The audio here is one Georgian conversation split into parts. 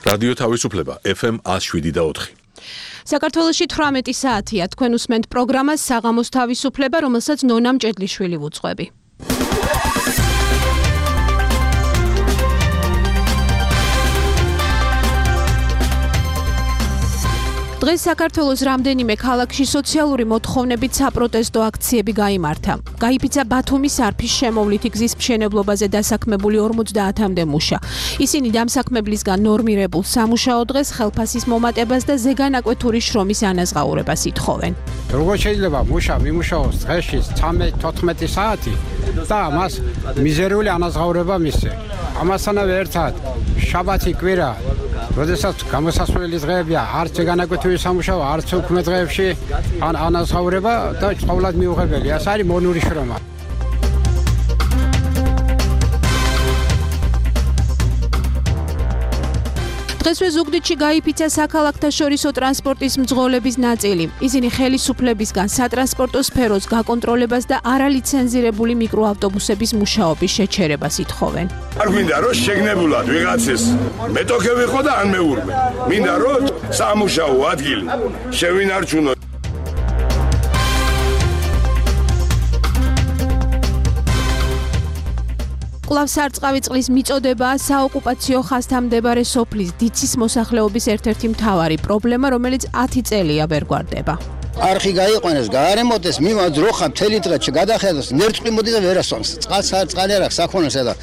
რადიო თავისუფლება FM 107.4. საქართველოში 18 საათია. თქვენ უსმენთ პროგრამას საღამოს თავისუფლება, რომელსაც ნონა მჭედლიშვილი ვუძღვები. დღეს საქართველოს რამდენიმე ქალაქში სოციალური მოთხოვნებით საპროტესტო აქციები გაიმართა. გაიფიცა ბათუმის არფის შემოვლითი გზის მშენებლობაზე დასაქმებული 50-მდე მუშა. ისინი დამსაქმებლისგან ნორმირებულ სამუშაო დღეს, ხელფასის მომატებას და ზეგანაკვეთური შრომის ანაზღაურებას ითხოვენ. როგორ შეიძლება მუშა მიმუშაოს დღეში 13-14 საათი და მას მიზერული ანაზღაურება მისცე. ამასთანავე ერთად შაბათი კვირა, როდესაც გამოსასვლელი დღეებია, არც ზეგანაკვეთური სამუშაო, არც უქმე დღეებში ანაზღაურება და ყოველად მიუღებელი. ეს არის მონური შრომა. დღესვე ზუგდიდში გაიფიცა საქალაქთა შორისო ტრანსპორტის მძღოლების ნაწილი. ისინი ხელისუფლებისგან სატრანსპორტო სფეროს გაკონტროლებას და არალიცენზირებული მიკროავტობუსების მუშაობის შეჩერებას ითხოვენ. არ მინდა რომ შეგნებულად ვიღაცეს მეტოქე ვიყო და ან მეურვე. მინდა რომ სამუშაო ადგილი შევინარჩუნო. კვლავ სარწყავი წყლის მიწოდებაა საოკუპაციო ხაზთან მდებარე სოფლის დიცის მოსახლეობის ერთ-ერთი მთავარი პრობლემა, რომელიც 10 წელია ვერ გვარდება. არხი გაიყვანეს, გაარემონტეს, მიმაძროხა მთელი დღე გადახედოს, ნერწყი მოდი და ვერასწონს. წყალი არ აქვს, საქონელს და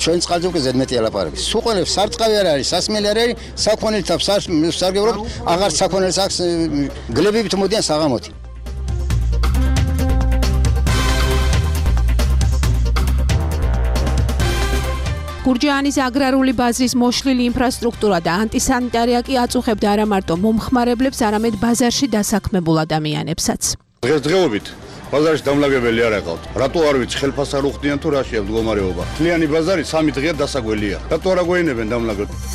ჩვენ წყალზე უკვე ზედმეტი ალაპარაკი. სუყელებს სარწყავი არ არის, სასმელი არ არის, საქონელთა სარგებლობთ, აღარ საქონელს აქვს, გლებებით მოდიან საღამოთი. გურჯაანის აგრარული ბაზრის მოშლილი ინფრასტრუქტურა და ანტისანიტარია კი აწუხებდა არა მარტო მომხმარებლებს, არამედ ბაზარში დასაქმებულ ადამიანებსაც. დღესდღეობით ბაზარში დამლაგებელი არ აყავთ. რატო არ ვიცი, ხელფასს არ უხდიან თუ რა შეა მდგომარეობა. მთლიანი ბაზარი 3 დღეა დასაგველია. რატო არ აგვეინებენ დამლაგებლებს?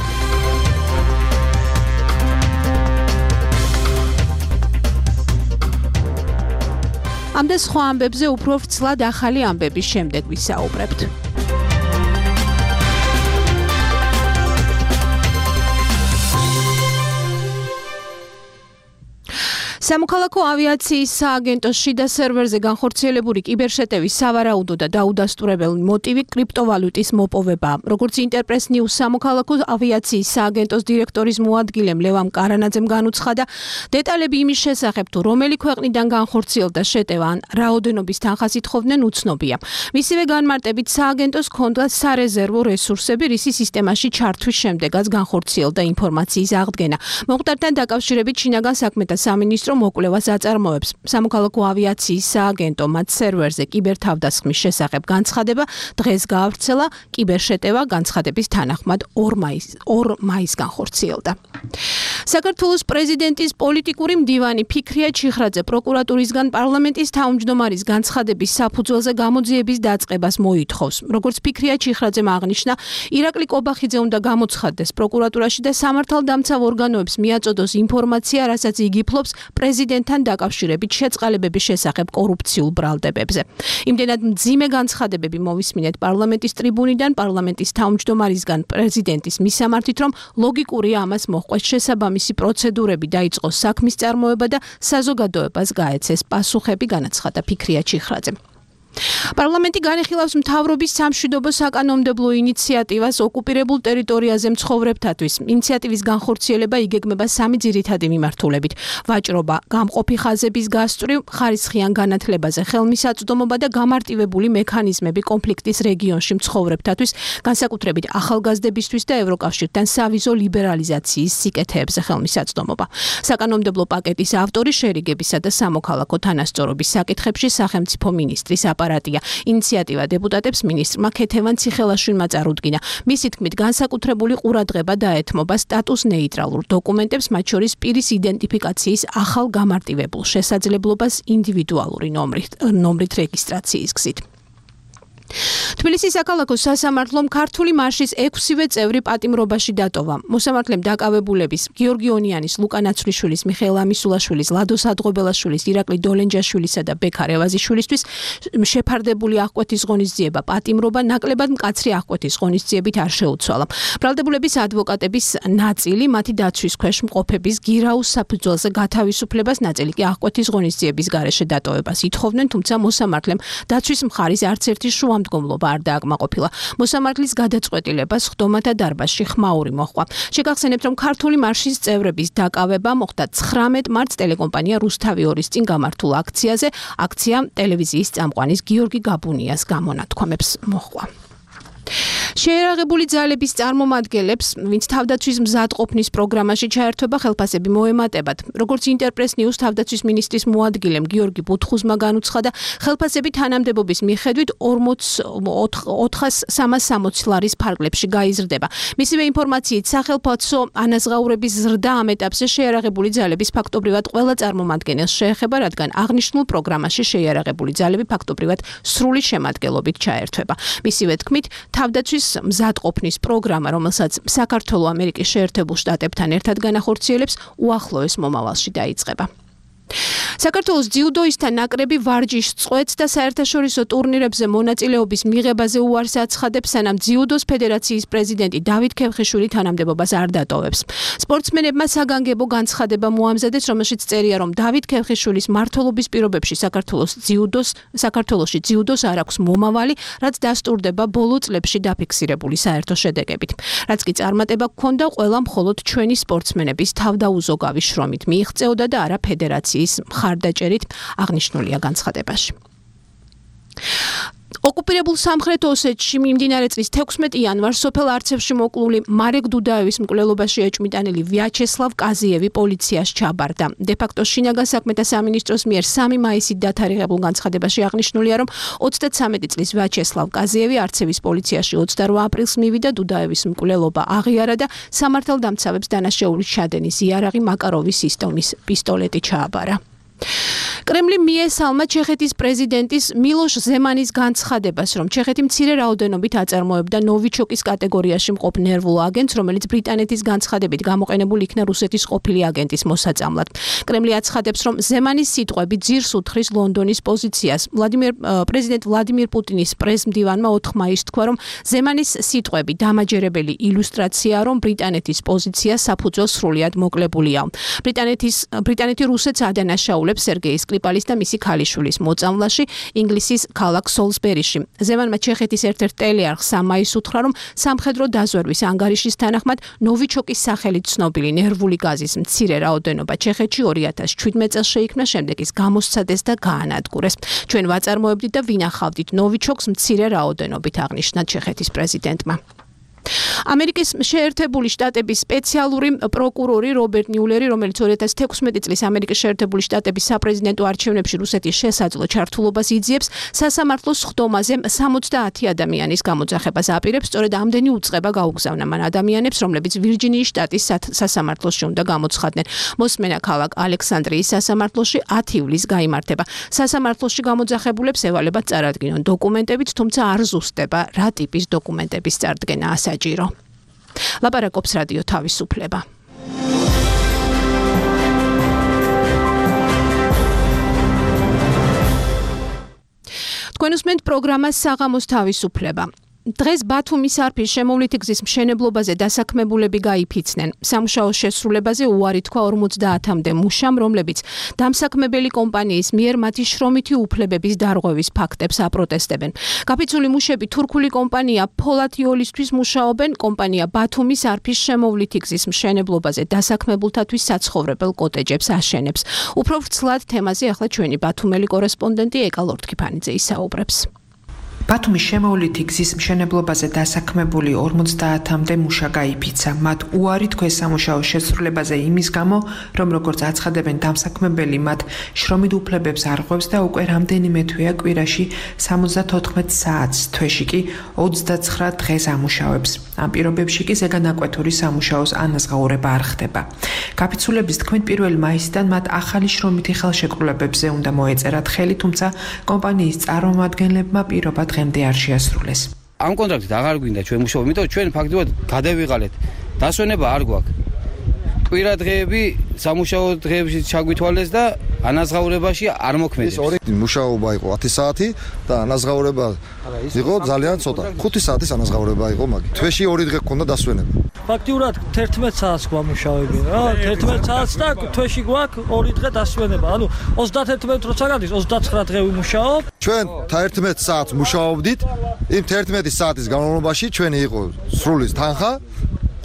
ამ და სხვა ამბებზე უფრო ვრცლად ახალი ამბების შემდეგ ვისაუბრებთ. სამოქალაქო ავიაციის სააგენტოს შიდა სერვერზე განხორციელებული კიბერშეტევის სავარაუდო და დაუდასტურებელი მოტივი კრიპტოვალუტის მოპოვებაა. როგორც ინტერპრეს ნიუს სამოქალაქო ავიაციის სააგენტოს დირექტორის მოადგილემ ლევამ კარანაძემ განუცხადა, დეტალები იმის შესახებ, თუ რომელი ქვეყნიდან განხორციელდა შეტევა ან რაოდენობის თანხას ითხოვდნენ, უცნობია. მისივე განმარტებით სააგენტოს ჰქონდა სარეზერვო რესურსები, რისი სისტემაში ჩართვის შემდეგაც განხორციელდა ინფორმაციის აღდგენა. მოხდართან დაკავშირებით შინაგან საქმეთა სამინისტრო მოკვლევას აწარმოებს. სამოქალაქო ავიაციის სააგენტო მათ სერვერზე კიბერთავდასხმის შესახებ განცხადება დღეს გაავრცელა. კიბერშეტევა განცხადების თანახმად 2 მაისს განხორციელდა. საქართველოს პრეზიდენტის პოლიტიკური მდივანი ფიქრია ჩიხრაძე პროკურატურისგან პარლამენტის თავმჯდომარის განცხადების საფუძველზე გამოძიების დაწყებას მოითხოვს. როგორც ფიქრია ჩიხრაძემ აღნიშნა, ირაკლი კობახიძე უნდა გამოცხადდეს პროკურატურაში და სამართალდამცავ ორგანოებს მიაწოდოს ინფორმაცია, რასაც იგი ფლობს პრეზიდენტთან დაკავშირებით შეწყალებების შესახებ კორუფციულ ბრალდებებზე. იმდენად მძიმე განცხადებები მოვისმინეთ პარლამენტის ტრიბუნიდან, პარლამენტის თავმჯდომარისგან პრეზიდენტის მისამართით, რომ ლოგიკურია ამას მოჰყვეს შესაბამისი პროცედურები დაიწყოს საქმის წარმოება და საზოგადოებას გაეცეს პასუხები, განაცხადა ფიქრია ჩიხრაძემ. პარლამენტი განიხილავს მთავრობის სამშვიდობო საკანონმდებლო ინიციატივას ოკუპირებულ ტერიტორიაზე მცხოვრებთათვის. ინიციატივის განხორციელება იგეგმება 3 ძირითადი მიმართულებით: ვაჭრობა, გამყოფი ხაზების გასწვრივ, ხარისხიან განათლებაზე ხელმისაწვდომობა და გამარტივებული მექანიზმები კონფლიქტის რეგიონში მცხოვრებთათვის, განსაკუთრებით ახალგაზრდებისთვის და ევროკავშირთან სავიზო ლიბერალიზაციის სიკეთეებზე ხელმისაწვდომობა. საკანონმდებლო პაკეტის ავტორი შერიგებისა და სამოქალაქო თანასწორობის საკითხებში სახელმწიფო მინისტრის აპარატია. ინიციატივა დეპუტატებს მინისტრმა ქეთევან ციხელაშვილმა წარუდგინა. მისი თქმით, განსაკუთრებული ყურადღება დაეთმობა სტატუს ნეიტრალურ დოკუმენტებს, მათ შორის პირის იდენტიფიკაციის ახალ გამარტივებულ შესაძლებლობას ინდივიდუალური ნომრით რეგისტრაციის გზით. თბილისის საქალაქო სასამართლომ ქართული მარშის 6-ვე წევრი პატიმრობაში დატოვა. მოსამართლემ დაკავებულების გიორგი ონიანის, ლუკა ნაცვლიშვილის, მიხეილ ამისულაშვილის, ლადო სადღობელაშვილის, ირაკლი დოლენჯაშვილისა და ბექა რევაზიშვილისთვის შეფარდებული აღკვეთის ღონისძიება პატიმრობა ნაკლებად მკაცრი აღკვეთის ღონისძიებით არ შეუცვალა. ბრალდებულების ადვოკატების ნაწილი მათი დაცვის ქვეშ მყოფების გირაუს საფუძველზე გათავისუფლებას, ნაწილი კი აღკვეთის ღონისძიების გარეშე დატოვებას ითხოვდნენ, თუმცა მოსამართლემ დაცვის მხარის არც ერთი შუამდგომლობა არ დააკმაყოფილა. მოსამართლის გადაწყვეტილებას ხდომათა დარბაზში ხმაური მოჰყვა. შეგახსენებთ, რომ ქართული მარშის წევრების დაკავება მოხდა 19 მარტს ტელეკომპანია რუსთავი 2-ის წინ გამართულ აქციაზე. აქცია ტელევიზიის წამყვანის გიორგი გაბუნიას გამონათქვამებს მოჰყვა. შეერაღებული ძალების წარმომადგენლებს, ვინც თავდაცვის მზადყოფნის პროგრამაში ჩაერთვება, ხელფასები მოემატებათ. როგორც ინტერპრეს ნიუს თავდაცვის მინისტრის მოადგილემ გიორგი ბუთხუზმა განუცხადა, ხელფასები თანამდებობის მიხედვით 4,360 ლარის ფარგლებში გაიზრდება. მისივე ინფორმაციით, სახელფასო ანაზღაურების ზრდა ამ ეტაპზე შეერაღებული ძალების ფაქტობრივად ყველა წარმომადგენელს შეეხება, რადგან აღნიშნულ პროგრამაში შეერაღებული ძალები ფაქტობრივად სრული შემადგენლობით ჩაერთვება. მისივე თქმით, თავდაცვის მზადყოფნის პროგრამა, რომელსაც საქართველო ამერიკის შეერთებულ შტატებთან ერთად განახორციელებს, უახლოეს მომავალში დაიწყება. საქართველოს ძიუდოისტთა ნაკრები ვარჯიშ წყვეტს და საერთაშორისო ტურნირებზე მონაწილეობის მიღებაზე უარს აცხადებს, სანამ ძიუდოს ფედერაციის პრეზიდენტი დავით ქევხიშვილი თანამდებობას არ დატოვებს. სპორტსმენებმა საგანგებო განცხადება მოამზადეს, რომელშიც წერია, რომ დავით ქევხიშვილის მმართველობის პირობებში საქართველოში ძიუდოს არ აქვს მომავალი, რაც დასტურდება ბოლო წლებში დაფიქსირებული საერთო შედეგებით. რაც კი წარმატება გქონდა, ყველა მხოლოდ ჩვენი სპორტსმენების თავდაუზოგავი შრომით მიიღწეოდა და არა ფედერაციის მხარდაჭერით, აღნიშნულია განცხადებაში. ოკუპირებულ სამხრეთ ოსეთში მიმდინარე წლის 16 იანვარს სოფელ არცევში მოკლული მარეკ დუდაევის მკვლელობაში ეჭვმიტანილი ვიაჩესლავ კაზიევი პოლიციას ჩაბარდა. დე-ფაქტო შინაგან საქმეთა სამინისტროს მიერ 3 მაისით დათარიღებულ განცხადებაში აღნიშნულია, რომ 33 წლის ვიაჩესლავ კაზიევი არცევის პოლიციაში 28 aprilს მივიდა, დუდაევის მკვლელობა აღიარა და სამართალდამცავებს დანაშაულის ჩადენის იარაღი მაკაროვის სისტემის პისტოლეტი ჩააბარა. კრემლი მიესალმა ჩეხეთის პრეზიდენტის მილოშ ზემანის განცხადებას, რომ ჩეხეთი მცირე რაოდენობით აწარმოებდა ნოვიჩოკის კატეგორიაში მყოფ ნერვულ აგენტს, რომელიც ბრიტანეთის განცხადებით გამოყენებულ იქნა რუსეთის ყოფილი აგენტის მოსაწამლად. კრემლი აცხადებს, რომ ზემანის სიტყვები ძირს უთხრის ლონდონის პოზიციას. პრეზიდენტ ვლადიმირ პუტინის პრესმდივანმა 4 მაისს თქვა, რომ ზემანის სიტყვები დამაჯერებელი ილუსტრაციაა, რომ ბრიტანეთის პოზიცია საფუძველს სრულად მოკლებულია. ბრიტანეთი რუსეთს ადანაშაულებს სერგეი სკრიპალის და მისი ქალიშვილის მოწამვლაში ინგლისის ქალაქ სოლსბერიში. ზემანმა ჩეხეთის ერთ-ერთ ტელეარხს 3 მაისს უთხრა, რომ სამხედრო დაზვერვის ანგარიშის თანახმად ნოვიჩოკის სახელით ცნობილი ნერვული გაზის მცირე რაოდენობა ჩეხეთში 2017 წელს შეიქმნა, შემდეგ ის გამოსცადეს და გაანადგურეს. ჩვენ ვაწარმოებდით და ვინახავდით ნოვიჩოკს მცირე რაოდენობით, აღნიშნა ჩეხეთის პრეზიდენტმა. ამერიკის შეერთებული შტატების სპეციალური პროკურორი რობერტ მიულერი, რომელიც 2016 წლის ამერიკის შეერთებული შტატების საპრეზიდენტო არჩევნებში რუსეთის შესაძლო ჩართულობას იძიებს, სასამართლოს ხდომაზე 70 ადამიანის გამოძახებას აპირებს. სწორედ ამდენი უწყება გაუგზავნა მან ადამიანებს, რომლებიც ვირჯინიის შტატის სასამართლოში უნდა გამოცხადდნენ. მოსმენა ქალაქ ალექსანდრიის სასამართლოში 10 ივლისს გაიმართება. სასამართლოში გამოძახებულებს ევალებათ წარადგინონ დოკუმენტებით, თუმცა არ ზუსტდება რა ტიპის დოკუმენტების წარდგენა საჭირო. ლაპარაკობს რადიო თავისუფლება. თქვენ უსმენთ პროგრამას საღამოს თავისუფლება. დღეს ბათუმის არფის შემოვლითი გზის მშენებლობაზე დასაქმებულები გაიფიცნენ. სამუშაოს შესრულებაზე უარი თქვა 50-მდე მუშამ, რომლებიც დამსაქმებელი კომპანიის მიერ მათი შრომითი უფლებების დარღვევის ფაქტებს აპროტესტებენ. გაფიცული მუშები თურქული კომპანია ფოლათიოლისთვის მუშაობენ. კომპანია ბათუმის არფის შემოვლითი გზის მშენებლობაზე დასაქმებულთათვის საცხოვრებელ კოტეჯებს აშენებს. უფრო ვრცლად თემაზე ახლა ჩვენი ბათუმელი კორესპონდენტი ეკა ლორთქიფანიძე ისაუბრებს. ბათუმის შემოვლითი გზის მშენებლობაზე დასაქმებული 50-მდე მუშა გაიფიცა. მათ უარი თქვეს სამუშაოს შესრულებაზე იმის გამო, რომ როგორც აცხადებენ დამსაქმებელი, მათ შრომით უფლებებს არღვევს და უკვე რამდენიმე თვეა კვირაში 74 საათს, თვეში კი 29 დღეს ამუშავებს. ამ პირობებში კი ზეგანაკვეთური სამუშაოს ანაზღაურება არ ხდება. გაფიცულების თქმით 1 მაისიდან მათ ახალი შრომითი ხელშეკრულებებზე უნდა მოეწერათ ხელი, თუმცა კომპანიის წარმომადგენლებმა პირობა დღემდე არ შეასრულეს. ამ კონტრაქტით აღარ გვინდა ჩვენ მუშაობა, იმიტომ ჩვენ ფაქტობრივად გადავიღალეთ. დასვენება არ გვაქვს. კვირა დღეები სამუშაო დღეებში ჩაგვითვალეს და ანაზღაურებაში არ მოქმედებს. მუშაობა იყო 10 საათი და ანაზღაურება იყო ძალიან ცოტა. 5 საათის ანაზღაურება იყო, მაგრამ თვეში 2 დღე გქონდა დასვენება. ფაქტიურად 11 საათს გვამუშავები რა, 11 საათს და თვეში გვაქვს 2 დღე დასვენება. ანუ 31 როცა გადის 29 დღე ვიმუშაობ. ჩვენ 11 საათს მუშაობდით. იმ 11 საათის განმავლობაში ჩვენი იყო სრული თანხა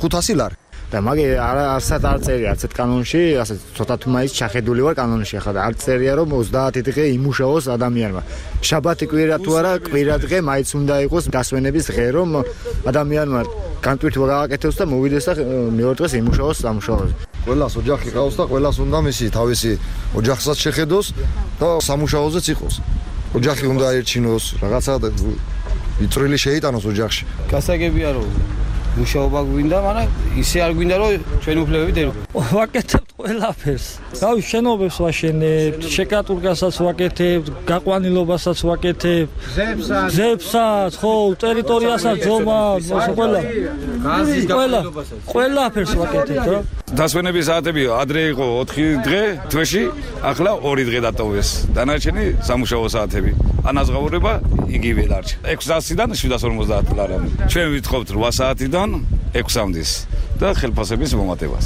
500 ლარი. და მაგე არცად არ წერია არცეთ კანონში, ასე ცოტა თუმაის ჩახედული ვარ კანონში ახლა და არ წერია რომ 30 დღე იმუშაოს ადამიანმა. შაბათი კვირა თუ არა, კვირა დღე მაინც უნდა იყოს დასვენების დღე, რომ ადამიანმა განტვირთვა გააკეთოს და მოვიდეს და მეორე დღეს იმუშაოს სამუშაოზე. ყველას ოჯახი ყავს და ყველას უნდა მისი თავისი ოჯახსაც შეხედოს და სამუშაოზეც იყოს. ოჯახი უნდა აერჩინოს, რაღაცა იწვრილი შეიტანოს ოჯახში. გასაგებია რომ მუშაობა გვინდა, მაგრამ ისე არ გვინდა რომ ჩვენ უფლებებით ერგო. ვაკეთებთ ყველაფერს. რავი, შენობებს ვაშენებთ, შეკატურგასაც ვაკეთებთ, გაყვანილობასაც ვაკეთებთ, გზებსაც, ხო, ტერიტორიასაც ჯომავთ, ყველაფერს ვაკეთებთ რა. დასვენების საათები ადრე იყო 4 დღე თვეში, ახლა 2 დღე დატოვეს. დანარჩენი სამუშაო საათები. ანაზღაურება იგივე დარჩა. 600-დან 750 ლარი. ჩვენ ვითხოვთ 8 საათიდან 6-მდის და ხელფასების მომატებას.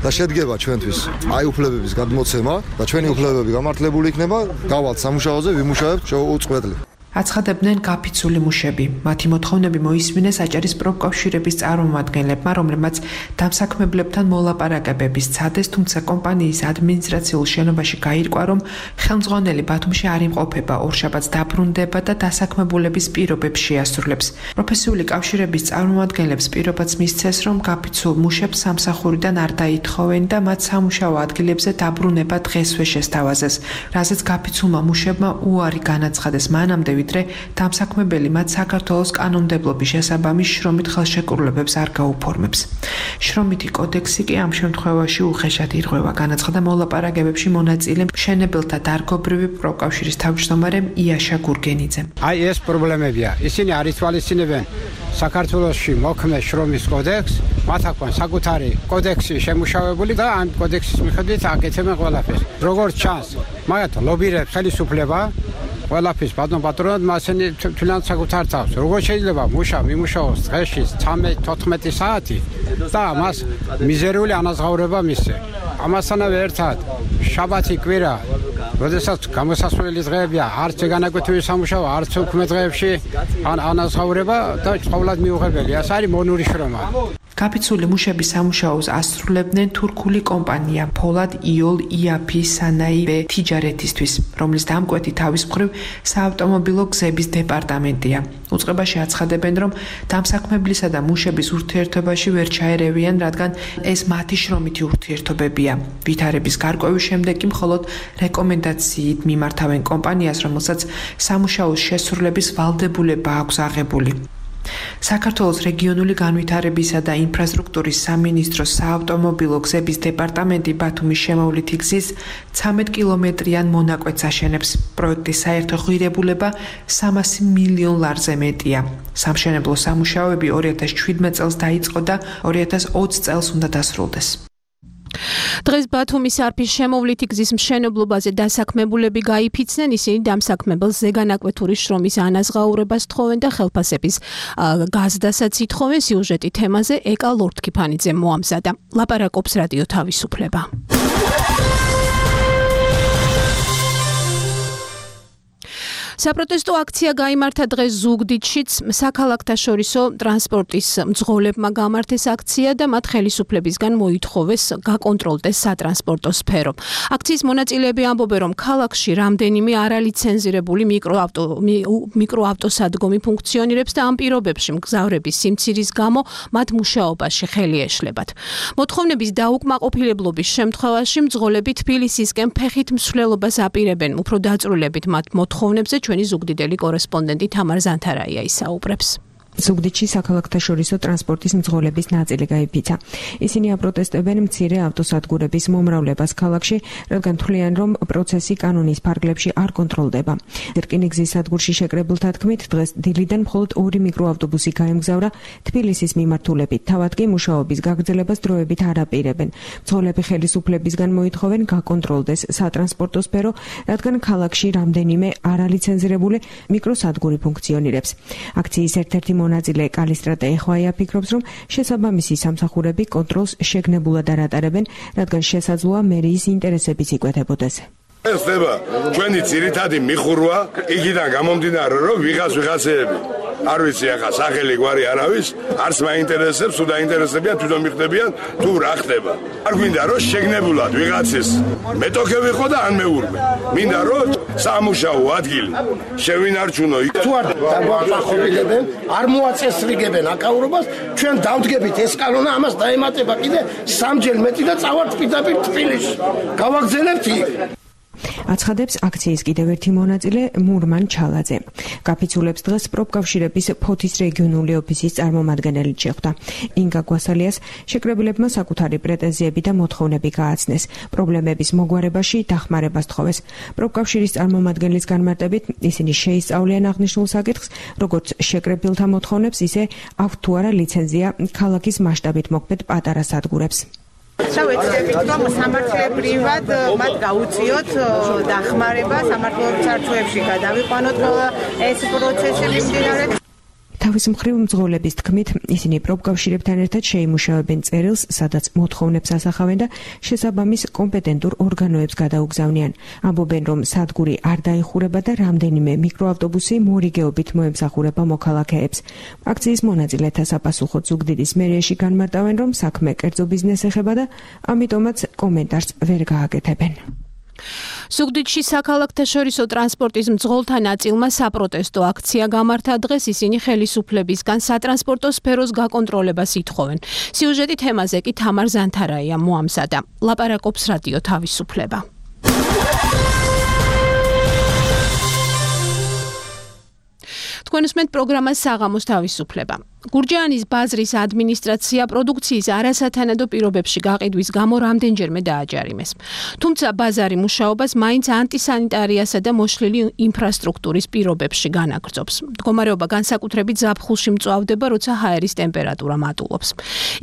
და შედგება ჩვენთვის აი უფლებების გადმოცემა და ჩვენი უფლებები გამართლებული იქნება, გავალთ სამუშაოზე, ვიმუშავებთ უწყვეტლი. აცხადებდნენ გაფიცული მუშები. მათი მოთხოვნები მოისმინეს აჭარის პროფკავშირების წარმომადგენლებმა, რომლებმაც დამსაქმებლებთან მოლაპარაკებების ცადეს, თუმცა კომპანიის ადმინისტრაციულ შენობაში გაირკვა, რომ ხელმძღვანელი ბათუმში არ იმყოფება, ორშაბათს დაბრუნდება და დასაქმებულების პირობებს შეასრულებს. პროფესიული კავშირების წარმომადგენლებს პირობაც მისცეს, რომ გაფიცულ მუშებს სამსახურიდან არ დაითხოვენ და მათ სამუშაო ადგილებზე დაბრუნება დღესვე შესთავაზეს, რაზეც გაფიცულმა მუშებმა უარი განაცხადეს მანამდე, ვიდრე დამსაქმებელი მათ საქართველოს კანონმდებლობის შესაბამის შრომით ხელშეკრულებებს არ გაუფორმებს. შრომითი კოდექსი კი ამ შემთხვევაში უხეშად ირღვევა, განაცხადა მოლაპარაკებებში მონაწილე მშენებელთა დარგობრივი პროფკავშირის თავმჯდომარე იაშა გურგენიძემ. აი ეს პრობლემებია. ისინი არ ითვალისწინებენ საქართველოში მოქმედ შრომის კოდექსს, მათ აქვს საკუთარი კოდექსი შემუშავებული და ამ კოდექსის მიხედვით აკეთებენ ყველაფერს. როგორც ჩანს, მაგათ ლობირებს ხელისუფლება ყველაფერს პატრონად მასენი თვლიან საკუთარ თავს. როგორ შეიძლება მუშა მიმუშაოს დღეში 13-14 საათი და მას მიზერული ანაზღაურება მისცე. ამასთანავე ერთად შაბათი კვირა, როდესაც გამოსასვლელი დღეებია, არც განაკვეთილი სამუშაო, არც უქმე დღეებში ანაზღაურება და ყოველად მიუღებელი. ეს არის მონური შრომა. გაფიცული მუშების სამუშაოს ასრულებდნენ თურქული კომპანია ფოლად იოლ იაფი სანაი თიჯარეთისთვის, რომლის დამკვეთი თავის მხრივ საავტომობილო გზების დეპარტამენტია. უწყებაში აცხადებენ, რომ დამსაქმებლისა და მუშების ურთიერთობაში ვერ ჩაერევიან, რადგან ეს მათი შრომითი ურთიერთობებია. ვითარების გარკვევის შემდეგ კი მხოლოდ რეკომენდაციით მიმართავენ კომპანიას, რომელსაც სამუშაოს შესრულების ვალდებულება აქვს აღებული. საქართველოს რეგიონული განვითარებისა და ინფრასტრუქტურის სამინისტროს საავტომობილო გზების დეპარტამენტი ბათუმის შემოვლითი გზის 13 კილომეტრიან მონაკვეთს აშენებს. პროექტის საერთო ღირებულება 300 მილიონ ლარზე მეტია. სამშენებლო სამუშაოები 2017 წელს დაიწყო და 2020 წელს უნდა დასრულდეს. დღეს ბათუმის არფის შემოვლითი გზის მშენებლობაზე დასაქმებულები გაიფიცნენ, ისინი დამსაქმებელს ზეგანაკვეთური შრომის ანაზღაურებას თხოვენ და ხელფასების გაზრდასაც ითხოვენ. სიუჟეტი თემაზე ეკა ლორთქიფანიძე მოამზადა. ლაპარაკობს რადიო თავისუფლება. საპროტესტო აქცია გაიმართა დღეს ზუგდიდშიც. საქალაქთაშორისო ტრანსპორტის მძღოლებმა გამართეს აქცია და მათ ხელისუფლებისგან მოითხოვეს გაკონტროლდეს სატრანსპორტო სფერო. აქციის მონაწილეები ამბობენ, რომ ქალაქში რამდენიმე არალიცენზირებული მიკროავტოსადგომი ფუნქციონირებს და ამ პირობებში მგზავრების სიმცირის გამო მათ მუშაობაში ხელი ეშლებათ. მოთხოვნების დაუკმაყოფილებლობის შემთხვევაში მძღოლები თბილისისკენ ფეხით მსვლელობას აპირებენ. უფრო დაწვრილებით მათ მოთხოვნებზე ჩვენი ზუგდიდელი კორესპონდენტი თამარ ზანთარაია ისაუბრებს. ზუგდიდში საქალაქთაშორისო ტრანსპორტის მძღოლების ნაწილი გაიფიცა. ისინი აპროტესტებენ მცირე ავტოსადგურების მომრავლებას ქალაქში, რადგან თვლიან, რომ პროცესი კანონის ფარგლებში არ კონტროლდება. რკინიგზის სადგურში შეკრებილთა თქმით, დღეს დილიდან მხოლოდ 2 მიკროავტობუსი გაემგზავრა თბილისის მიმართულებით. თავად კი მუშაობის გაგრძელებას დროებით არ აპირებენ. მძღოლები ხელისუფლებისგან მოითხოვენ გაკონტროლდეს სატრანსპორტო სფერო, რადგან ქალაქში რამდენიმე არალიცენზირებული მიკროსადგური ფუნქციონირებს. აქციის ერთ-ერთი მონაწილე კალისტრატე ეხვაია ფიქრობს, რომ შესაბამისი სამსახურები კონტროლს შეგნებულად არ ატარებენ, რადგან შესაძლოა მერიის ინტერესებიც იკვეთებოდეს. ეს ხდება ჩვენი ძირითადი მიხურვა, იქიდან გამომდინარე, რომ ვიღაცეები არ ვიცი ახლა სახელი გვარი არავის, არც მაინტერესებს, თუ დაინტერესებიან, თვითონ მიხდებიან, თუ რა ხდება. არ გვინდა რომ შეგნებულად ვიღაცის მეტოქე ვიყო და ან მეურვე. მინდა რომ სამუშაო ადგილი შევინარჩუნო. თუ არ დაგვაყობილებენ, არ მოაწესრიგებენ აკავრობას, ჩვენ დავდგებით ეს კანონა, ამას დაემატება კიდე 3 მეტი და წავართ პირდაპირ თბილისში. გავაგზავნებთ იქ. აცხადებს აქციის კიდევ ერთი მონაწილე მურმან ჩალაძე. გაფიცულებს დღეს პროფკავშირების ფოთის რეგიონული ოფისის წარმომადგენელი შეხვდა. ინგა გვასალიას შეკრებილებმა საკუთარი პრეტენზიები და მოთხოვნები გააცნეს. პრობლემების მოგვარებაში დახმარებას თხოვეს. პროფკავშირის წარმომადგენლის განმარტებით ისინი შეისწავლიან აღნიშნულ საკითხს, როგორც შეკრებილთა მოთხოვნებს, ისე აქვთ თუ არა ლიცენზია ქალაქის მასშტაბით მოქმედ პატარა სადგურებს. ვეცდებით, რომ სამართლებრივად მათ გაუწიოთ დახმარება, სამართლებრივ წარსულებში გადავიყვანოთ ყველა ეს პროცესები მიმდინარე. თავის მხრივ მძღოლების თქმით, ისინი პროფკავშირებთან ერთად შეიმუშავებენ წერილს, სადაც მოთხოვნებს ასახავენ და შესაბამის კომპეტენტურ ორგანოებს გადაუგზავნიან. ამბობენ, რომ სადგური არ დაიხურება და რამდენიმე მიკროავტობუსი მორიგეობით მოემსახურება მოქალაქეებს. აქციის მონაწილეთა საფასუხოდ ზუგდიდის მერიაში განმარტავენ, რომ საქმე კერძო ბიზნესს ეხება და ამიტომაც კომენტარს ვერ გააკეთებენ. ზუგდიდში საქალაქთაშორისო ტრანსპორტის მძღოლთა ნაწილმა საპროტესტო აქცია გამართა. დღეს ისინი ხელისუფლებისგან სატრანსპორტო სფეროს გაკონტროლებას ითხოვენ. სიუჟეტი თემაზე კი თამარ ზანთარაია მოამზადა. ლაპარაკობს რადიო თავისუფლება. თქვენ უსმენთ პროგრამას საღამოს თავისუფლება. გურჯაანის ბაზრის ადმინისტრაცია პროდუქციის არასათანადო პირობებში გაყიდვის გამო რამდენჯერმე დააჯარიმეს. თუმცა ბაზარი მუშაობას მაინც ანტისანიტარიასა და მოშლილი ინფრასტრუქტურის პირობებში განაგრძობს. მდგომარეობა განსაკუთრებით ზაფხულში მწვავდება, როცა ჰაერის ტემპერატურა მატულობს.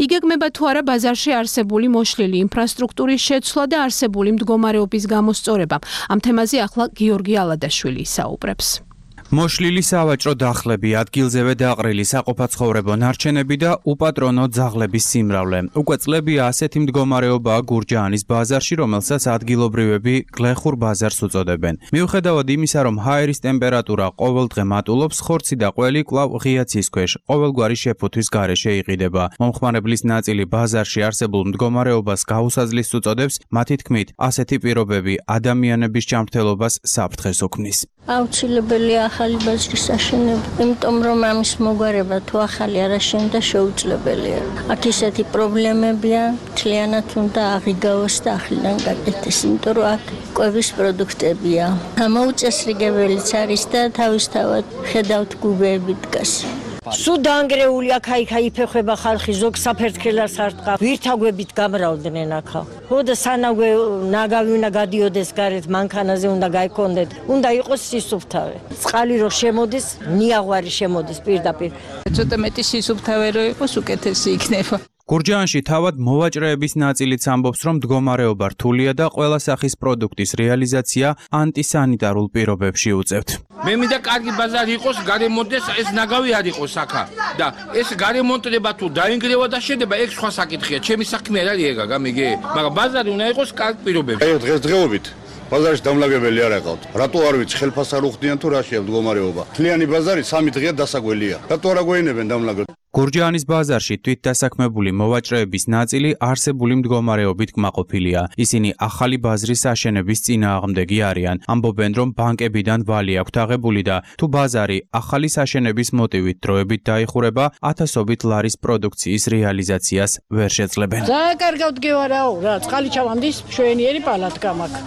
იგეგმება თუ არა ბაზარში არსებული მოშლილი ინფრასტრუქტურის შეცვლა და არსებული მდგომარეობის გამოსწორება. ამ თემაზე ახლა გიორგი ალადაშვილი ისაუბრებს. მოშლილი სავაჭრო დახლები, ადგილზევე დაყრილი საყოფაცხოვრებო ნარჩენები და უპატრონო ძაღლების სიმრავლე. უკვე წლებია ასეთი მდგომარეობაა გურჯაანის ბაზარში, რომელსაც ადგილობრივები გლეხურ ბაზარს უწოდებენ. მიუხედავად იმისა, რომ ჰაერის ტემპერატურა ყოველდღე მატულობს, ხორცი და ყველი კვლავ ღია ცის ქვეშ, ყოველგვარი შეფუთვის გარეშე იყიდება. მომხმარებლის ნაწილი ბაზარში არსებულ მდგომარეობას გაუსაძლის უწოდებს, მათი თქმით, ასეთი პირობები ადამიანების ჯანმრთელობას საფრთხეს უქმნის. აუცილებელია ახალი ბაზრის აშენება, იმიტომ რომ ამის მოგვარება თუ ახალი არ აშენდა შეუძლებელია. აქ ისეთი პრობლემებია, მთლიანად უნდა აღიგავოს და ახლიდან გაკეთდეს, იმიტომ რომ აქ კვების პროდუქტებია. ამოუწესრიგებელიც არის და თავისთავად ხედავთ გუბეები დგას. სულ დაანგრეული აქა-იქა იფეხება ხალხი, ზოგ საფერთხელას არ ტყავ. ვირთაგვებით გამრავლდნენ აქა. ხოდა სანაგვე ნაგავი უნდა გადიოდეს გარეთ, მანქანაზე უნდა გაიქონდეთ. უნდა იყოს სისუფთავე. წყალი რო შემოდის, ნიაღვარი შემოდის პირდაპირ. ცოტა მეტი სისუფთავე რო იყოს, უკეთესი იქნება. გურჯაანში თავად მოვაჭრეების ნაწილიც ამბობს, რომ მდგომარეობა რთულია და ყველა სახის პროდუქტის რეალიზაცია ანტისანიტარულ პირობებში უწევთ. მე მინდა კარგი ბაზარი იყოს, გარემონტდეს, ეს ნაგავი არ იყოს აქა და ეს გარემონტდება თუ დაინგრევა და შედება, ეგ სხვა საკითხია. ჩემი საქმე არ არის ეგა, გამიგე? მაგრამ ბაზარი უნდა იყოს კარგ პირობებში. აი დღესდღეობით ბაზარში დამლაგებელი არ აყავთ. რატო არ ვიცი, ხელფასს არ უხდიან თუ რა შეა მდგომარეობა. მთლიანი ბაზარი 3 დღეა დასაგველია. რატო არ აგვეინებენ დამლაგებლად? გურჯაანის ბაზარში თვითდასაქმებული მოვაჭრეების ნაწილი არსებული მდგომარეობით კმაყოფილია. ისინი ახალი ბაზრის აშენების წინააღმდეგი არიან. ამბობენ, რომ ბანკებიდან ვალი აქვთ აღებული და თუ ბაზარი ახალი საშენების მოტივით დროებით დაიხურება, ათასობით ლარის პროდუქციის რეალიზაციას ვერ შეძლებენ. ძალიან კარგად გევარაო რა, წყალი ჩავამდის შვენიერი პალატკა მაქვს.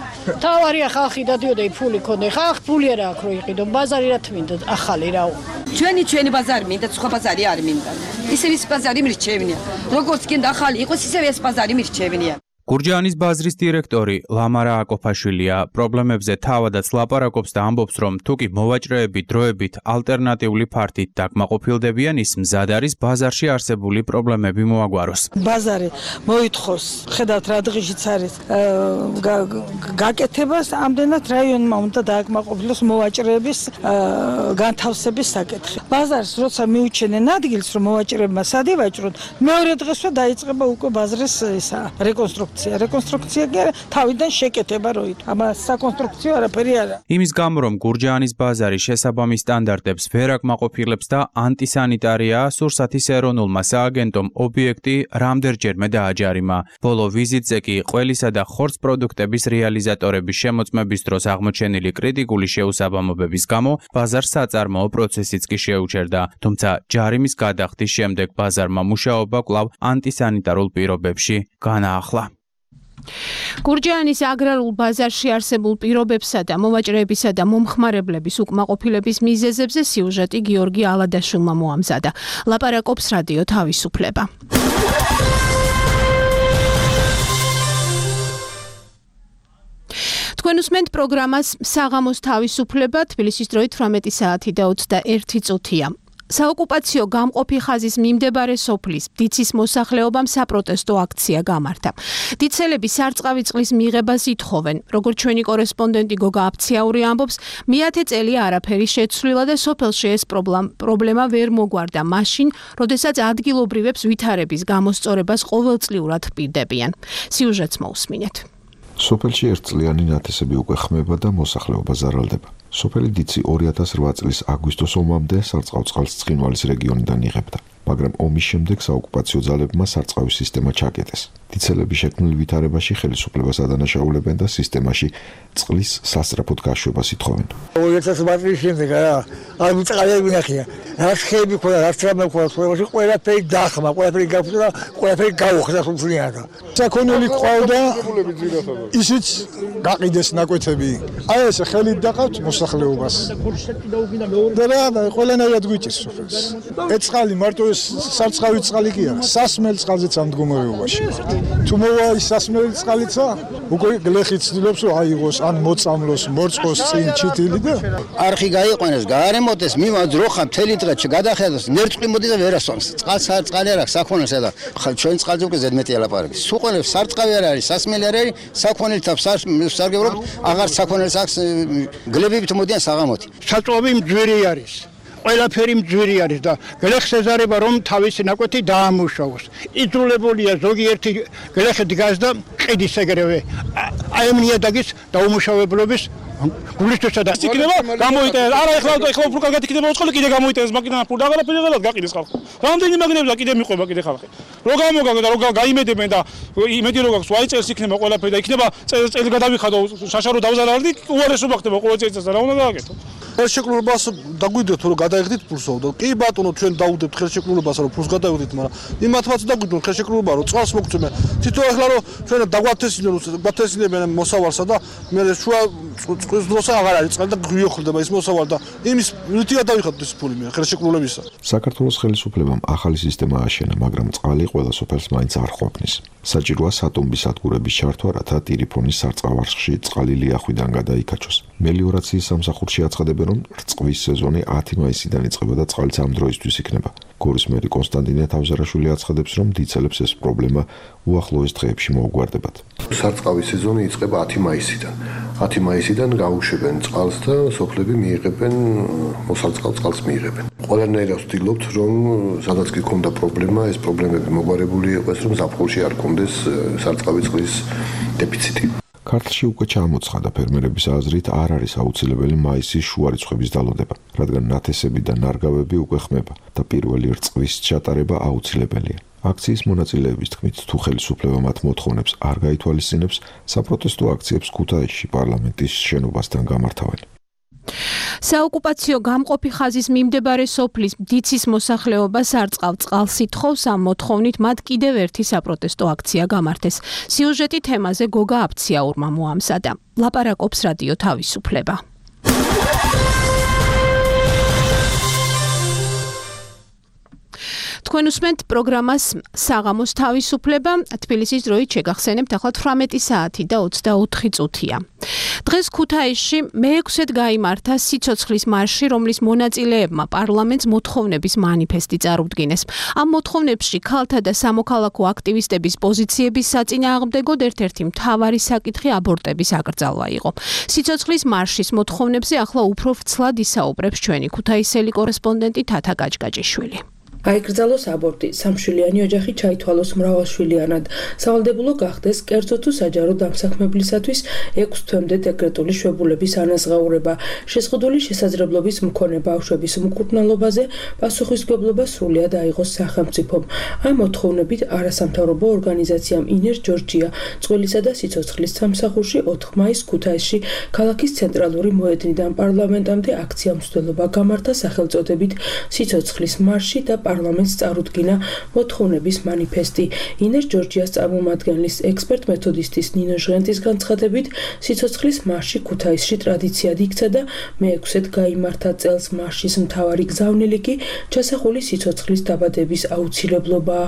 თავარია ხალხი დადიოდა ფული ქონდა. ხალხ ფული არა აქვს რო იყიდო, ბაზარი რა თმინდა ახალი რაო. ჩვენი ბაზარი მინდა, სხვა ბაზარი არ მინდა. ისევ ის ბაზარი მირჩევნია. როგორც გინდა ახალი იყოს, ისევ ეს ბაზარი მირჩევნია. გურჯაანის ბაზრის დირექტორი ლამარა აკოფაშვილია პრობლემებზე თავადაც ლაპარაკობს და ამბობს, რომ თუკი მოვაჭრეები დროებით ალტერნატიული ფართით დაკმაყოფილდებიან, ის მზად არის ბაზარში არსებული პრობლემები მოაგვაროს. ბაზარი მოითხოვს, ხედავთ რა დღეშიც არის გაკეთებას, ამდენად რაიონმა უნდა დააკმაყოფილოს მოვაჭრეების განთავსების საკითხი. ბაზარს როცა მიუჩენენ ადგილს, რომ მოვაჭრეებმა სად ივაჭრონ, მეორე დღესვე დაიწყება უკვე ბაზრის რეკონსტრუქცია კი არა, თავიდან შეკეთება როით. ამას საკონსტრუქციო არაფერი არა. იმის გამო, რომ გურჯაანის ბაზარი შესაბამის სტანდარტებს ვერ აკმაყოფილებს და ანტისანიტარია, სურსათის ეროვნულმა სააგენტომ ობიექტი რამდენჯერმე დააჯარიმა. ბოლო ვიზიტზე კი ყველისა და ხორცს პროდუქტების რეალიზატორების შემოწმების დროს აღმოჩენილი კრიტიკული შეუსაბამობების გამო ბაზარს საწარმოო პროცესიც კი შეუჩერდა. თუმცა ჯარიმის გადახდის შემდეგ ბაზარმა მუშაობა კვლავ ანტისანიტარულ პირობებში განაახლა. გურჯაანის აგრარულ ბაზარში არსებულ პირობებსა და მოვაჭრეებისა და მომხმარებლების უკმაყოფილების მიზეზებზე სიუჟეტი გიორგი ალადაშვილმა მოამზადა. ლაპარაკობს რადიო თავისუფლება. თქვენ უსმენთ პროგრამას საღამოს თავისუფლება, თბილისის დროით 18 საათი და 21 წუთია. საოკუპაციო გამყოფი ხაზის მიმდებარე სოფლის დიცის მოსახლეობამ საპროტესტო აქცია გამართა. დიცელები სარწყავი წყლის მიღებას ითხოვენ. როგორც ჩვენი კორესპონდენტი გოგა აფციაური ამბობს, მე-10 წელია არაფერი შეცვლილა და სოფელში ეს პრობლემა ვერ მოგვარდა მაშინ, როდესაც ადგილობრივებს ვითარების გამოსწორებას ყოველწლიურად პირდებიან. სიუჟეტს მოусმინეთ. სოფელში ერთწლიანი ნათესები უკვე ხმება და მოსახლეობა ზარალდება. სოფელი დიცი 2008 წლის აგვისტოს ომამდე სარწყავ წყალს ცხინვალის რეგიონიდან იღებდა, მაგრამ ომის შემდეგ საოკუპაციო ძალებმა სარწყავის სისტემა ჩაკეტეს. დიცელები შექმნილ ვითარებაში ხელისუფლებას ადანაშაულებენ და სისტემაში წყლის სასწრაფოდ გაშვებას ითხოვენ. 2008 წლის შემდეგ არ მიწაღია ვინახია. რაც ხეები ქონდა, რაც რამე ქონდა, ყველაფერი დახმა, ყველაფერი გაფუძნა, ყველაფერი გაუხსნა სულწლიანად. საქონელი ყავდა, ისიც გაყიდეს ნაკვეთები. აი ეს ხელით დაყავთ მოსახლეობას. და ყველანაირად გვიჭირს სოფელს. ეს წყალი მარტო ეს სარწყავი წყალი კი არა, სასმელი წყალზეც ამ მდგომარეობაში. თუ მოვა ის სასმელი წყალიცა, უკვე გლეხი ცდილობს რომ აიღოს, ან მოწამლოს, მორწყოს წინ ჩიტილი და არხი გაიყვანოს, გაარემონტეს, მიმაძროხა მთელი დღე გადახედოს, ნერწყი მოდი და ვერასწონს. წყალი არ აქვს, საქონელსა და ჩვენ წყალზე უკვე ზედმეტი ალაპარაკი. სუყოლებს სარწყავი არ არის, სასმელი არ არის, საქონელთა სარგებლობთ, აღარ საქონელს აქვს, გლებებით მოდიან საღამოთი. საწვავი მძვირი არის. ყველაფერი მძვირი არის და გლეხს ეზარება რომ თავისი ნაკვეთი დაამუშავოს. იძულებულია ზოგიერთი გლეხი დგას და ყიდის ეგრევე. აი ამ ნიადაგის დაუმუშავებლობის გულისთვისა და იქნება გამოიტანეს. არა ეხლა უფრო კარგად იქნება უცხოელი კიდე გამოიტანეს მაგინა ფულ და აღარაფერი აღარ გაყიდეს ხალხი. რამდენი მაგნებია კიდე მიყვება კიდე ხალხი. რო გამოგაგო და რო გაიმედებენ და იმედი რო გაქვს ვაი წელს იქნება ყველაფერი და იქნება წელი გადავიხადო შაშარო დავზარალდი უარესობა ხდება ყოველ წელს რა უნდა გააკეთო. ხელშეკრულებას დაგვიდეთ რომ გადაიღდით ფულსო და კი ბატონო ჩვენ დაუდებთ ხელშეკრულებას რომ ფულს გადაიღდით, მაგრამ იმათაც დაგვიდონ ხელშეკრულება რომ წყალს მოგწმენ. თვითონ ახლა რომ ჩვენ დავათესინებენ მოსავალსა და მე შუა წყლის დროს აღარ არის წყალი და გვიოხლდება ის მოსავალ და იმის რითია დავიხადოთ ეს ფული მე ხელშეკრულებისა. საქართველოს ხელისუფლებამ ახალი სისტემა ააშენა, მაგრამ წყალი ყველა სოფელს მაინც არ ყოფნის. საჭიროა სატომბის სადგურების ჩართვა, რათა ტირიფონის სარწყავარხში წყალი ლიახვიდან გადაიკაჩოს. მელიორაციის სამსახურში აცხადებენ, რომ რწყვის სეზონი 10 მაისიდან იწყება და წყალიც ამ დროისთვის იქნება. გორის მერი კონსტანტინე თავზარაშვილი აცხადებს, რომ დიცელებს ეს პრობლემა უახლოეს დღეებში მოუგვარდებათ. სარწყავის სეზონი იწყება 10 მაისიდან. 10 მაისიდან გაუშვებენ წყალს და სოფლები მიიღებენ მოსარწყავ წყალს მიიღებენ. ყველანაირად ვცდილობთ, რომ სადაც კი ქონდა პრობლემა, ეს პრობლემები მოგვარებული იყოს, რომ ზაფხულში არ ქონდეს სარწყავი წყლის დეფიციტი. ქართლში უკვე ჩამოცხადა ფერმერების აზრით არ არის აუცილებელი მაისის შუა რიცხვების დალოდება, რადგან ნათესები და ნარგავები უკვე ხმება და პირველი რწყვის ჩატარება აუცილებელია. აქციის მონაწილეების თქმით, თუ ხელისუფლება მათ მოთხოვნებს არ გაითვალისწინებს, საპროტესტო აქციებს ქუთაისში პარლამენტის შენობასთან გამართავენ. საოკუპაციო გამყოფი ხაზის მიმდებარე სოფლის დიცის მოსახლეობას არ წყავ წყალს ითხოვს, ამ მოთხოვნით მათ კიდევ ერთი საპროტესტო აქცია გამართეს. სიუჟეტი თემაზე გოგა აფციაურმა მოამზადა. ლაპარაკობს რადიო თავისუფლება. თქვენ უსმენთ პროგრამას საღამოს თავისუფლება. თბილისის დროით შეგახსენებთ ახლა 18 საათი და 24 წუთია. დღეს ქუთაისში მე-6-ად გაიმართა სიცოცხლის მარში, რომლის მონაწილეებმა პარლამენტს მოთხოვნების მანიფესტი წარუდგინეს. ამ მოთხოვნებში ქალთა და სამოქალაქო აქტივისტების პოზიციების საწინააღმდეგოდ ერთ-ერთი მთავარი საკითხი აბორტების აკრძალვა იყო. სიცოცხლის მარშის მოთხოვნებზე ახლა უფრო ვრცლად ისაუბრებს ჩვენი ქუთაისელი კორესპონდენტი თათა გაჭგაჭიშვილი. აიკრძალოს აბორტი, სამშვილიანი ოჯახი ჩაითვალოს მრავალშვილიანად, სავალდებულო გახდეს კერძო თუ საჯარო დამსაქმებლისათვის 6 თვემდე დეკრეტული შვებულების ანაზღაურება, შეზღუდული შესაძლებლობის მქონე ბავშვების მკურნალობაზე პასუხისმგებლობა სრულად აიღოს სახელმწიფომ. ამ მოთხოვნებით არასამთავრობო ორგანიზაციამ ინერ ჯორჯია წყვილისა და სიცოცხლის სამსახურში 4 მაისს ქუთაისში ქალაქის ცენტრალური მოედნიდან პარლამენტამდე აქცია მსვლელობა გამართა სახელწოდებით სიცოცხლის მარში და პარლამენტს წარუდგინა მოთხოვნების მანიფესტი. ინერ ჯორჯიას წარმომადგენლის ექსპერტ-მეთოდისტის ნინო ჟღენტის განცხადებით, სიცოცხლის მარში ქუთაისში ტრადიციად იქცა და მე-6-ად გაიმართა წელს. მარშის მთავარი გზავნილი კი ჩასახული სიცოცხლის დაბადების აუცილებლობაა.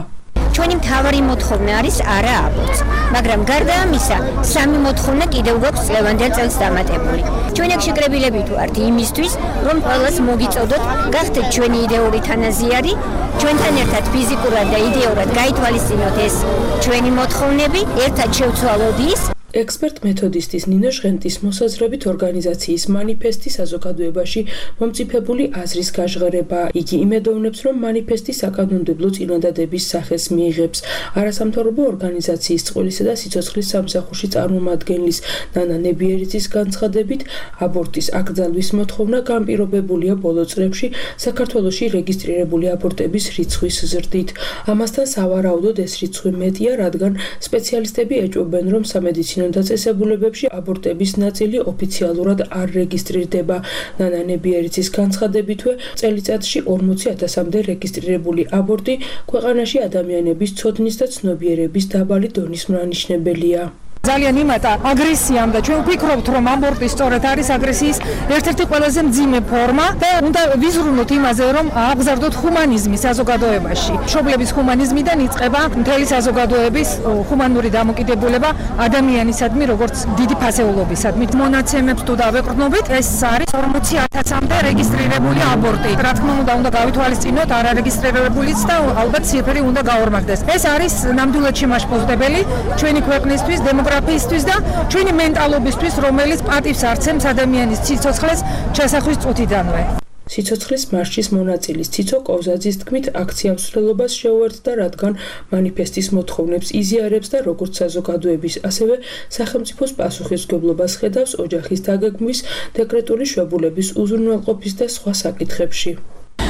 ჩვენი მთავარი მოთხოვნა არის არა აბორტს, მაგრამ გარდა ამისა, სამი მოთხოვნა კიდევ გვაქვს წლევანდელ წელს დამატებული. ჩვენ აქ შეკრებილებით ვართ იმისთვის, რომ ყველას მოგიწოდოთ, გახდეთ ჩვენი იდეური თანაზიარი, ჩვენთან ერთად ფიზიკურად და იდეურად გაითვალისწინოთ ეს ჩვენი მოთხოვნები, ერთად შევცვალოთ ის. ექსპერტ-მეთოდისტის ნინო ჟღენტის მოსაზრებით ორგანიზაციის მანიფესტი საზოგადოებაში მომწიფებული აზრის გაჟღერება. იგი იმედოვნებს, რომ მანიფესტი საკანონმდებლო წინადადების სახეს მიიღებს. არასამთავრობო ორგანიზაციის წყვილისა და სიცოცხლის სამსახურში წარმომადგენლის ნანა ნებიერიძის განცხადებით, აბორტის აკრძალვის მოთხოვნა განპირობებულია ბოლო წლებში საქართველოში რეგისტრირებული აბორტების რიცხვის ზრდით. ამასთან სავარაუდოდ ეს რიცხვი მეტია, რადგან სპეციალისტები ეჭვობენ, რომ სამედიცინო დაწესებულებებში აბორტების ნაწილი ოფიციალურად არ რეგისტრირდება. ნანა ნებიერიძის განცხადებითვე, წელიწადში 40,000-მდე რეგისტრირებული აბორტი ქვეყანაში ადამიანების ცოდნის და ცნობიერების დაბალი დონის მრანიშნებელია. ძალიან იმატა აგრესიამ და ჩვენ ვფიქრობთ, რომ აბორტი სწორედ არის აგრესიის ერთ-ერთი ყველაზე მძიმე ფორმა და უნდა ვიზრუნოთ იმაზე, რომ აღგზავნოთ ჰუმანიზმი საზოგადოებაში. მშობლების ჰუმანიზმიდან იწყება მთელი საზოგადოების ჰუმანური დამოკიდებულება ადამიანისადმი, როგორც დიდი ფასეულობისადმი. მონაცემებს თუ დავეყრდნობით, ეს არის 40,000-მდე რეგისტრირებული აბორტი. რა თქმა უნდა გავითვალისწინოთ არარეგისტრირებულიც და ალბათ ციფრი უნდა გაორმაგდეს. ეს არის ნამდვილად შემაშფოთებელი ჩვენი ქვეყნისთვის, დემოგრაფიისთვის და ჩვენი მენტალობისთვის, რომელიც პატივს არცემს ადამიანის სიცოცხლეს ჩასახვის წუთიდანვე. სიცოცხლის მარშის მონაწილის ციცო კოვზაძის თქმით, აქცია მსვლელობას შეუერთდა, რადგან მანიფესტის მოთხოვნებს იზიარებს და როგორც საზოგადოების, ასევე სახელმწიფოს პასუხისმგებლობას ხედავს ოჯახის დაგეგმვის, დეკრეტული შვებულების უზრუნველყოფის და სხვა საკითხებში.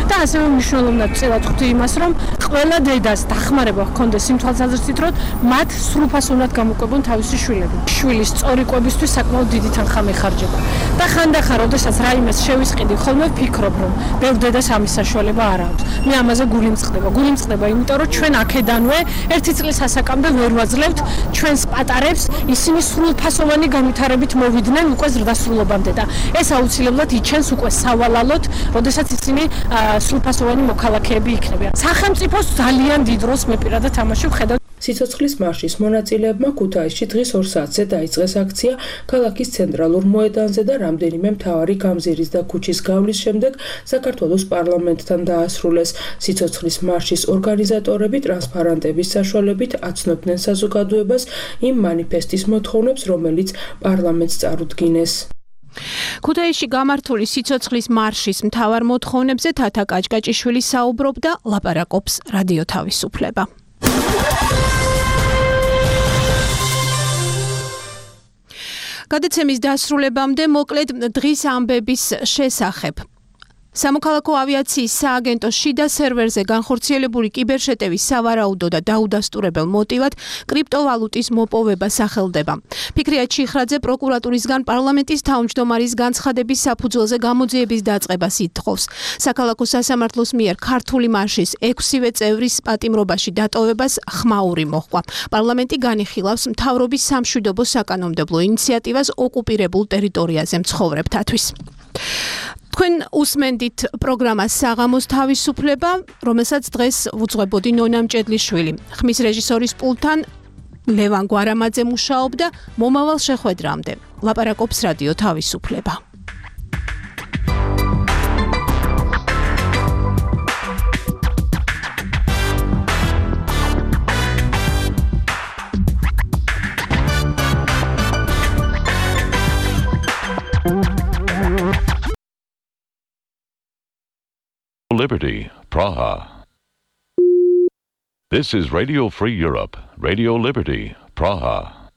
და ასევე მნიშვნელოვნად წელად ხვდი იმას, რომ ყველა დედას დახმარება ჰქონდეს იმ თვალსაზრისით, რომ მათ სრულფასოვნად გამოკვებონ თავისი შვილები. შვილის სწორი კვებისთვის საკმაოდ დიდი თანხა მეხარჯება. და ხანდახან, როდესაც რაიმეს შევისყიდი, ხოლმე ვფიქრობ, რომ ბევრ დედას ამის საშუალება არ აქვს. მე ამაზე გული მწყდება, იმიტომ რომ ჩვენ აქედანვე ერთი წლის ასაკამდე ვერ ვაძლევთ ჩვენს პატარებს, ისინი სრულფასოვანი განვითარებით მოვიდნენ უკვე ზრდასრულობამდე და ეს აუცილებლად იჩენს უკვე სავალალოდ, როდესაც ისინი სრულფასოვანი მოქალაქეები იქნებიან. სახელმწიფოს ძალიან დიდ როლს მე პირადად თამაში ვხედავ. სიცოცხლის მარშის მონაწილეებმა ქუთაისში დღის 2 საათზე დაიწყეს აქცია ქალაქის ცენტრალურ მოედანზე და რამდენიმე მთავარი გამზირის და ქუჩის გავლის შემდეგ საქართველოს პარლამენტთან დაასრულეს. სიცოცხლის მარშის ორგანიზატორები ტრანსპარანტების საშუალებით აცნობდნენ საზოგადოებას იმ მანიფესტის მოთხოვნებს, რომელიც პარლამენტს წარუდგინეს. ქუთაისში გამართული სიცოცხლის მარშის მთავარ მოთხოვნებზე თათა გაჭგაჭიშვილი საუბრობდა, ლაპარაკობს რადიო თავისუფლება. გადაცემის დასრულებამდე მოკლედ დღის ამბების შესახებ. სამოქალაქო ავიაციის სააგენტოს შიდა სერვერზე განხორციელებული კიბერშეტევის სავარაუდო და დაუდასტურებელ მოტივად კრიპტოვალუტის მოპოვება სახელდება. ფიქრია ჩიხრაძე პროკურატურისგან პარლამენტის თავმჯდომარის განცხადების საფუძველზე გამოძიების დაწყებას ითხოვს. საქალაქო სასამართლოს მიერ ქართული მარშის 6-ვე წევრის პატიმრობაში დატოვებას ხმაური მოჰყვა. პარლამენტი განიხილავს მთავრობის სამშვიდობო საკანონმდებლო ინიციატივას ოკუპირებულ ტერიტორიაზე მცხოვრებთათვის. თქვენ უსმენდით პროგრამას საღამოს თავისუფლება, რომელსაც დღეს უძღვებოდი ნონა მჭედლიშვილი. ხმის რეჟისორის პულტთან ლევან გვარამაძე მუშაობდა. მომავალ შეხვედრამდე ლაპარაკობს რადიო თავისუფლება. Liberty, Praha. This is Radio Free Europe, Radio Liberty, Praha.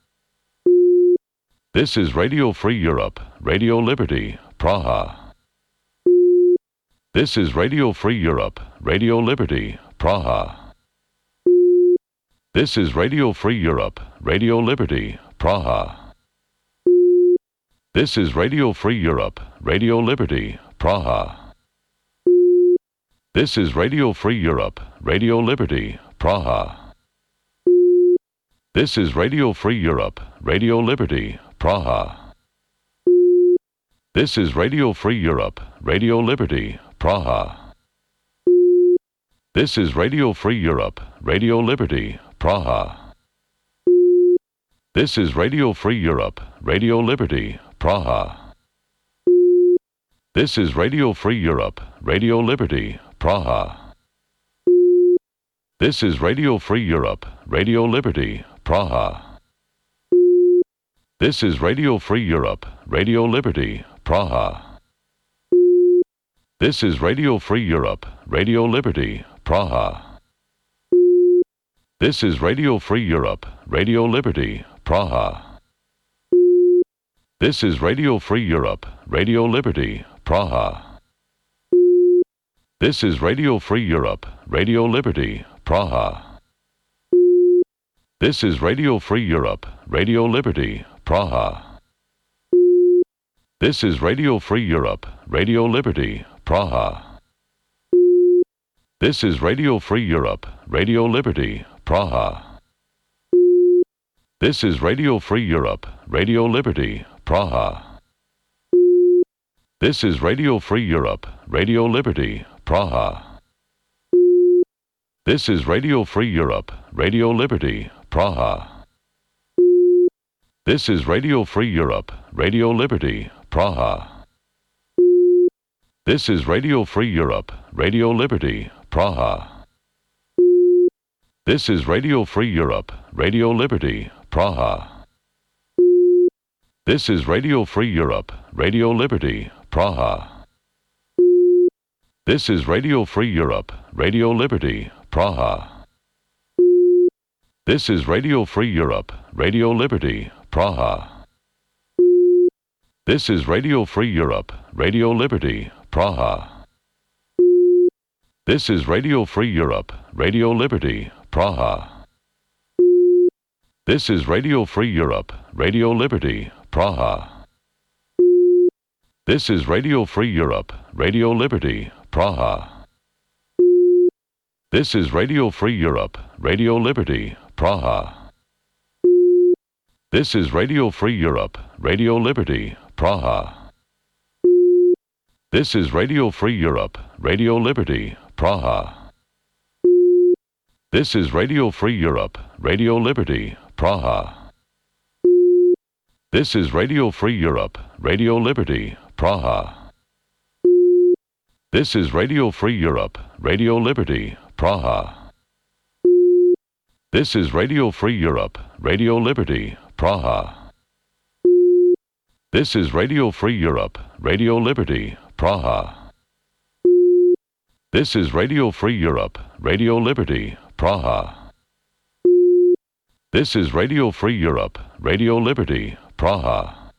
This is Radio Free Europe, Radio Liberty, Praha. This is Radio Free Europe, Radio Liberty, Praha. This is Radio Free Europe, Radio Liberty, Praha. This is Radio Free Europe, Radio Liberty, Praha. This is Radio Free Europe, Radio Liberty, Praha. This is Radio Free Europe, Radio Liberty, Praha. This is Radio Free Europe, Radio Liberty, Praha. This is Radio Free Europe, Radio Liberty, Praha. This is Radio Free Europe, Radio Liberty, Praha. This is Radio Free Europe, Radio Liberty, Praha. This is Radio Free Europe, Radio Liberty, Praha. This is Radio Free Europe, Radio Liberty, Praha. This is Radio Free Europe, Radio Liberty, Praha. This is Radio Free Europe, Radio Liberty, Praha. This is Radio Free Europe, Radio Liberty, Praha. This is Radio Free Europe, Radio Liberty, Praha. This is Radio Free Europe, Radio Liberty, Praha. This is Radio Free Europe, Radio Liberty, Praha. This is Radio Free Europe, Radio Liberty, Praha. This is Radio Free Europe, Radio Liberty, Praha. This is Radio Free Europe, Radio Liberty, Praha. This is Radio Free Europe, Radio Liberty, Praha. This is Radio Free Europe, Radio Liberty, Praha. This is Radio Free Europe, Radio Liberty, Praha. This is Radio Free Europe, Radio Liberty, Praha. This is Radio Free Europe, Radio Liberty, Praha. This is Radio Free Europe, Radio Liberty, Praha. This is Radio Free Europe, Radio Liberty, Praha. This is Radio Free Europe, Radio Liberty, Praha. This is Radio Free Europe, Radio Liberty, Praha. This is Radio Free Europe, Radio Liberty, Praha. This is Radio Free Europe, Radio Liberty, Praha. This is Radio Free Europe, Radio Liberty, Praha. This is Radio Free Europe, Radio Liberty, Praha. This is Radio Free Europe, Radio Liberty, Praha. This is Radio Free Europe, Radio Liberty, Praha. This is Radio Free Europe, Radio Liberty, Praha. This is Radio Free Europe, Radio Liberty, Praha. This is Radio Free Europe, Radio Liberty, Praha. This is Radio Free Europe, Radio Liberty, Praha. This is Radio Free Europe, Radio Liberty, Praha. This is Radio Free Europe, Radio Liberty, Praha.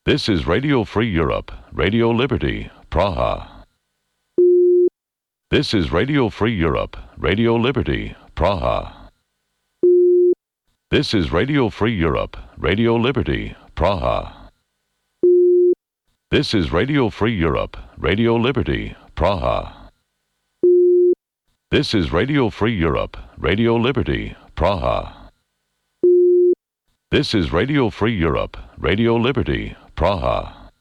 This is Radio Free Europe, Radio Liberty, Praha. This is Radio Free Europe, Radio Liberty, Praha. This is Radio Free Europe, Radio Liberty, Praha. This is Radio Free Europe, Radio Liberty, Praha. This is Radio Free Europe, Radio Liberty, Praha. This is Radio Free Europe, Radio Liberty, Praha.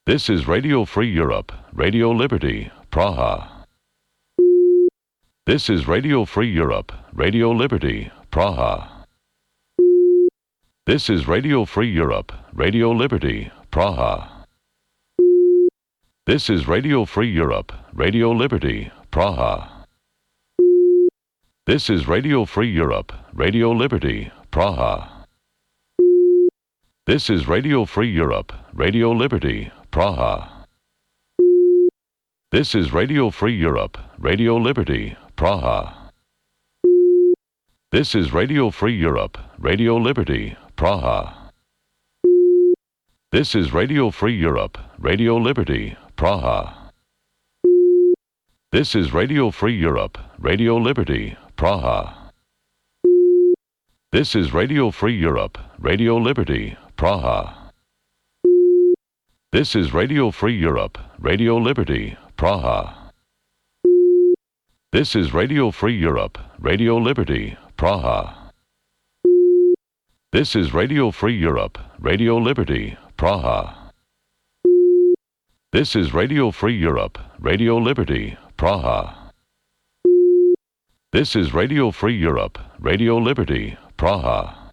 This is Radio Free Europe, Radio Liberty, Praha. This is Radio Free Europe, Radio Liberty, Praha. This is Radio Free Europe, Radio Liberty, Praha. This is Radio Free Europe, Radio Liberty, Praha. This is Radio Free Europe, Radio Liberty, Praha. This is Radio Free Europe, Radio Liberty, Praha. This is Radio Free Europe, Radio Liberty, Praha. This is Radio Free Europe, Radio Liberty, Praha. This is Radio Free Europe, Radio Liberty, Praha. This is Radio Free Europe, Radio Liberty, Praha. This is Radio Free Europe, Radio Liberty, Praha. This is Radio Free Europe, Radio Liberty, Praha. This is Radio Free Europe, Radio Liberty, Praha. This is Radio Free Europe, Radio Liberty, Praha. This is Radio Free Europe, Radio Liberty, Praha. This is Radio Free Europe, Radio Liberty, Praha.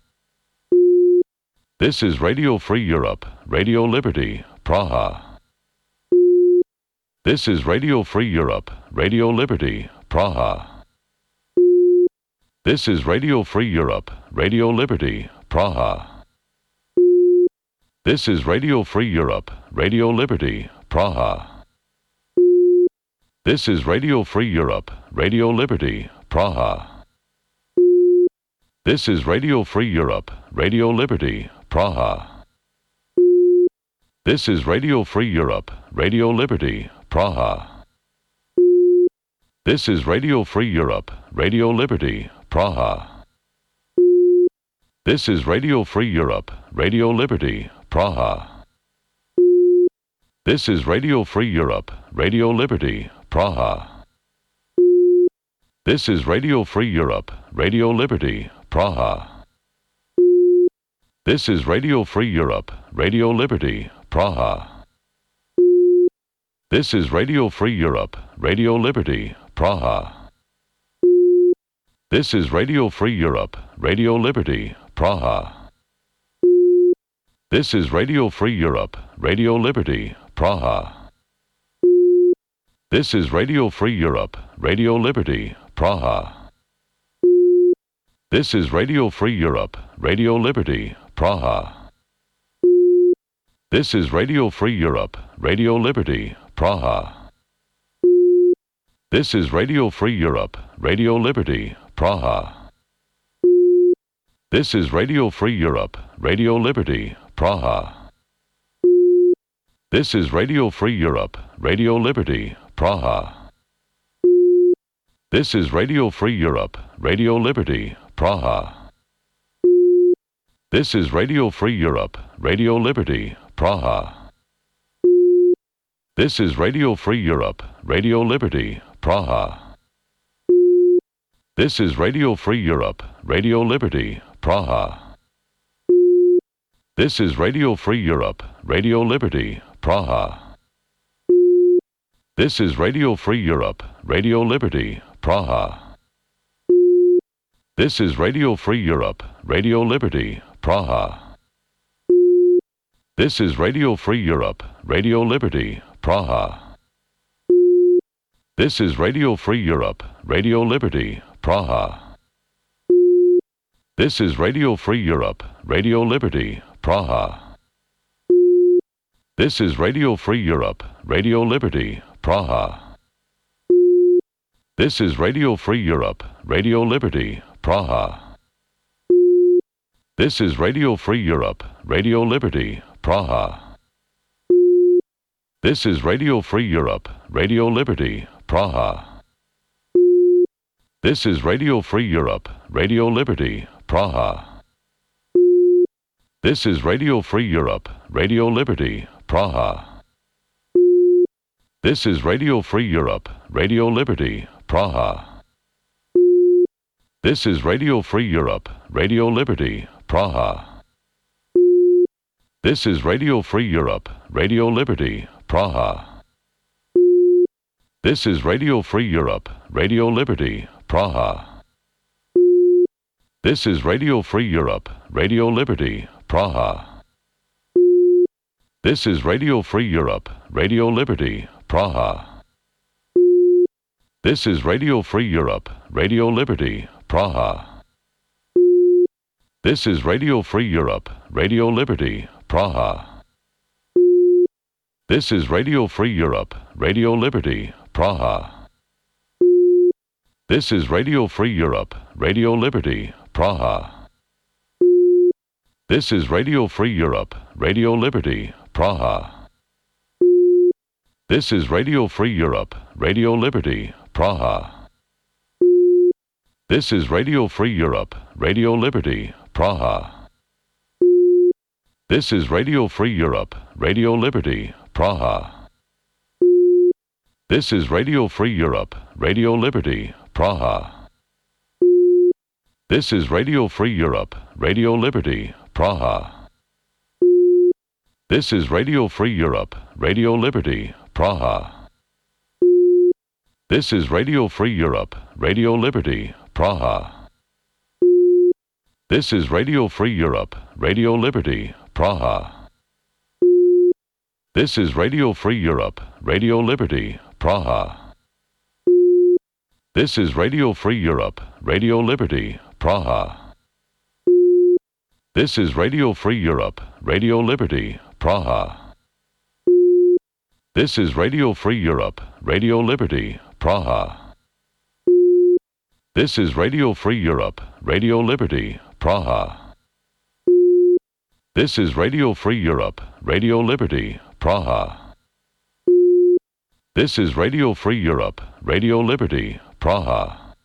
This is Radio Free Europe, Radio Liberty, Praha. This is Radio Free Europe, Radio Liberty, Praha. This is Radio Free Europe, Radio Liberty, Praha. This is Radio Free Europe, Radio Liberty, Praha. This is Radio Free Europe, Radio Liberty, Praha. This is Radio Free Europe, Radio Liberty, Praha. This is Radio Free Europe, Radio Liberty, Praha. This is Radio Free Europe, Radio Liberty, Praha. This is Radio Free Europe, Radio Liberty, Praha. This is Radio Free Europe, Radio Liberty, Praha. This is Radio Free Europe, Radio Liberty, Praha. This is Radio Free Europe, Radio Liberty, Praha. This is Radio Free Europe, Radio Liberty, Praha. This is Radio Free Europe, Radio Liberty, Praha. This is Radio Free Europe, Radio Liberty, Praha. This is Radio Free Europe, Radio Liberty, Praha. This is Radio Free Europe, Radio Liberty, Praha. This is Radio Free Europe, Radio Liberty, Praha. This is Radio Free Europe, Radio Liberty, Praha. This is Radio Free Europe, Radio Liberty, Praha. This is Radio Free Europe, Radio Liberty, Praha. This is Radio Free Europe, Radio Liberty, Praha. This is Radio Free Europe, Radio Liberty, Praha. This is Radio Free Europe, Radio Liberty, Praha. This is Radio Free Europe, Radio Liberty, Praha. This is Radio Free Europe, Radio Liberty, Praha. This is Radio Free Europe, Radio Liberty, Praha. This is Radio Free Europe, Radio Liberty, Praha. This is Radio Free Europe, Radio Liberty, Praha. This is Radio Free Europe, Radio Liberty, Praha. This is Radio Free Europe, Radio Liberty, Praha. This is Radio Free Europe, Radio Liberty, Praha. This is Radio Free Europe, Radio Liberty, Praha. This is Radio Free Europe, Radio Liberty, Praha. This is Radio Free Europe, Radio Liberty, Praha. This is Radio Free Europe, Radio Liberty, Praha. This is Radio Free Europe, Radio Liberty, Praha. This is Radio Free Europe, Radio Liberty, Praha. This is Radio Free Europe, Radio Liberty, Praha. This is Radio Free Europe, Radio Liberty, Praha. This is Radio Free Europe, Radio Liberty, Praha. This is Radio Free Europe, Radio Liberty, Praha. This is Radio Free Europe, Radio Liberty, Praha. This is Radio Free Europe, Radio Liberty, Praha. This is Radio Free Europe, Radio Liberty, Praha. This is Radio Free Europe, Radio Liberty, Praha. This is Radio Free Europe, Radio Liberty, Praha. This is Radio Free Europe, Radio Liberty, Praha. This is Radio Free Europe, Radio Liberty, Praha. This is Radio Free Europe, Radio Liberty, Praha. This is Radio Free Europe, Radio Liberty, Praha. This is Radio Free Europe, Radio Liberty, Praha. This is Radio Free Europe, Radio Liberty, Praha. This is Radio Free Europe, Radio Liberty, Praha. This is Radio Free Europe, Radio Liberty, Praha. This is Radio Free Europe, Radio Liberty, Praha. This is Radio Free Europe, Radio Liberty, Praha. This is Radio Free Europe, Radio Liberty, Praha. This is Radio Free Europe, Radio Liberty, Praha. This is Radio Free Europe, Radio Liberty, Praha. This is Radio Free Europe, Radio Liberty, Praha. This is Radio Free Europe, Radio Liberty, Praha.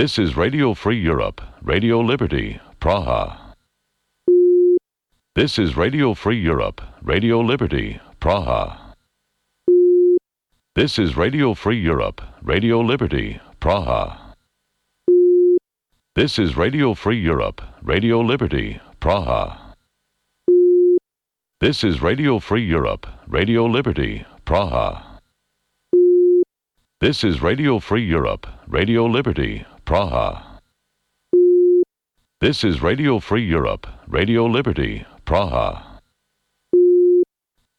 This is Radio Free Europe, Radio Liberty, Praha. This is Radio Free Europe, Radio Liberty, Praha. This is Radio Free Europe, Radio Liberty, Praha. This is Radio Free Europe, Radio Liberty, Praha. This is Radio Free Europe, Radio Liberty, Praha. This is Radio Free Europe, Radio Liberty, Praha. This is Radio Free Europe, Radio Liberty, Praha. This is Radio Free Europe, Radio Liberty, Praha.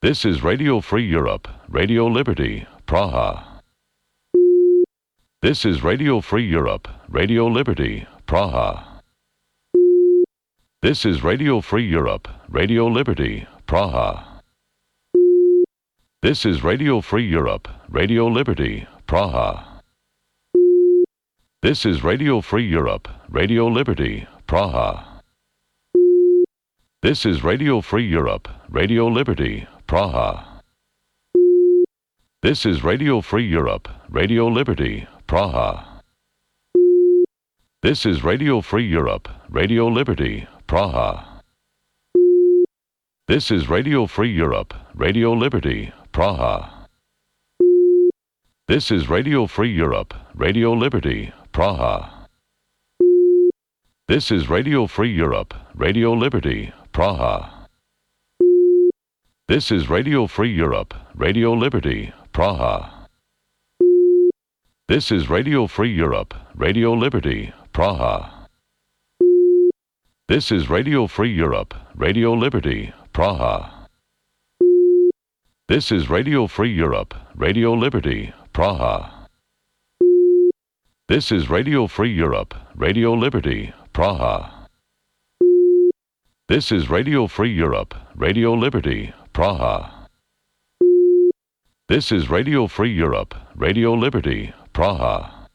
This is Radio Free Europe, Radio Liberty, Praha. This is Radio Free Europe, Radio Liberty, Praha. This is Radio Free Europe, Radio Liberty, Praha. This is Radio Free Europe, Radio Liberty, Praha. This is Radio Free Europe, Radio Liberty, Praha. This is Radio Free Europe, Radio Liberty, Praha. This is Radio Free Europe, Radio Liberty, Praha. This is Radio Free Europe, Radio Liberty, Praha. This is Radio Free Europe, Radio Liberty, Praha. This is Radio Free Europe, Radio Liberty, Praha. This is Radio Free Europe, Radio Liberty, Praha. This is Radio Free Europe, Radio Liberty, Praha. This is Radio Free Europe, Radio Liberty, Praha. This is Radio Free Europe, Radio Liberty, Praha. This is Radio Free Europe, Radio Liberty, Praha. This is Radio Free Europe, Radio Liberty, Praha. This is Radio Free Europe, Radio Liberty, Praha. This is Radio Free Europe, Radio Liberty, Praha.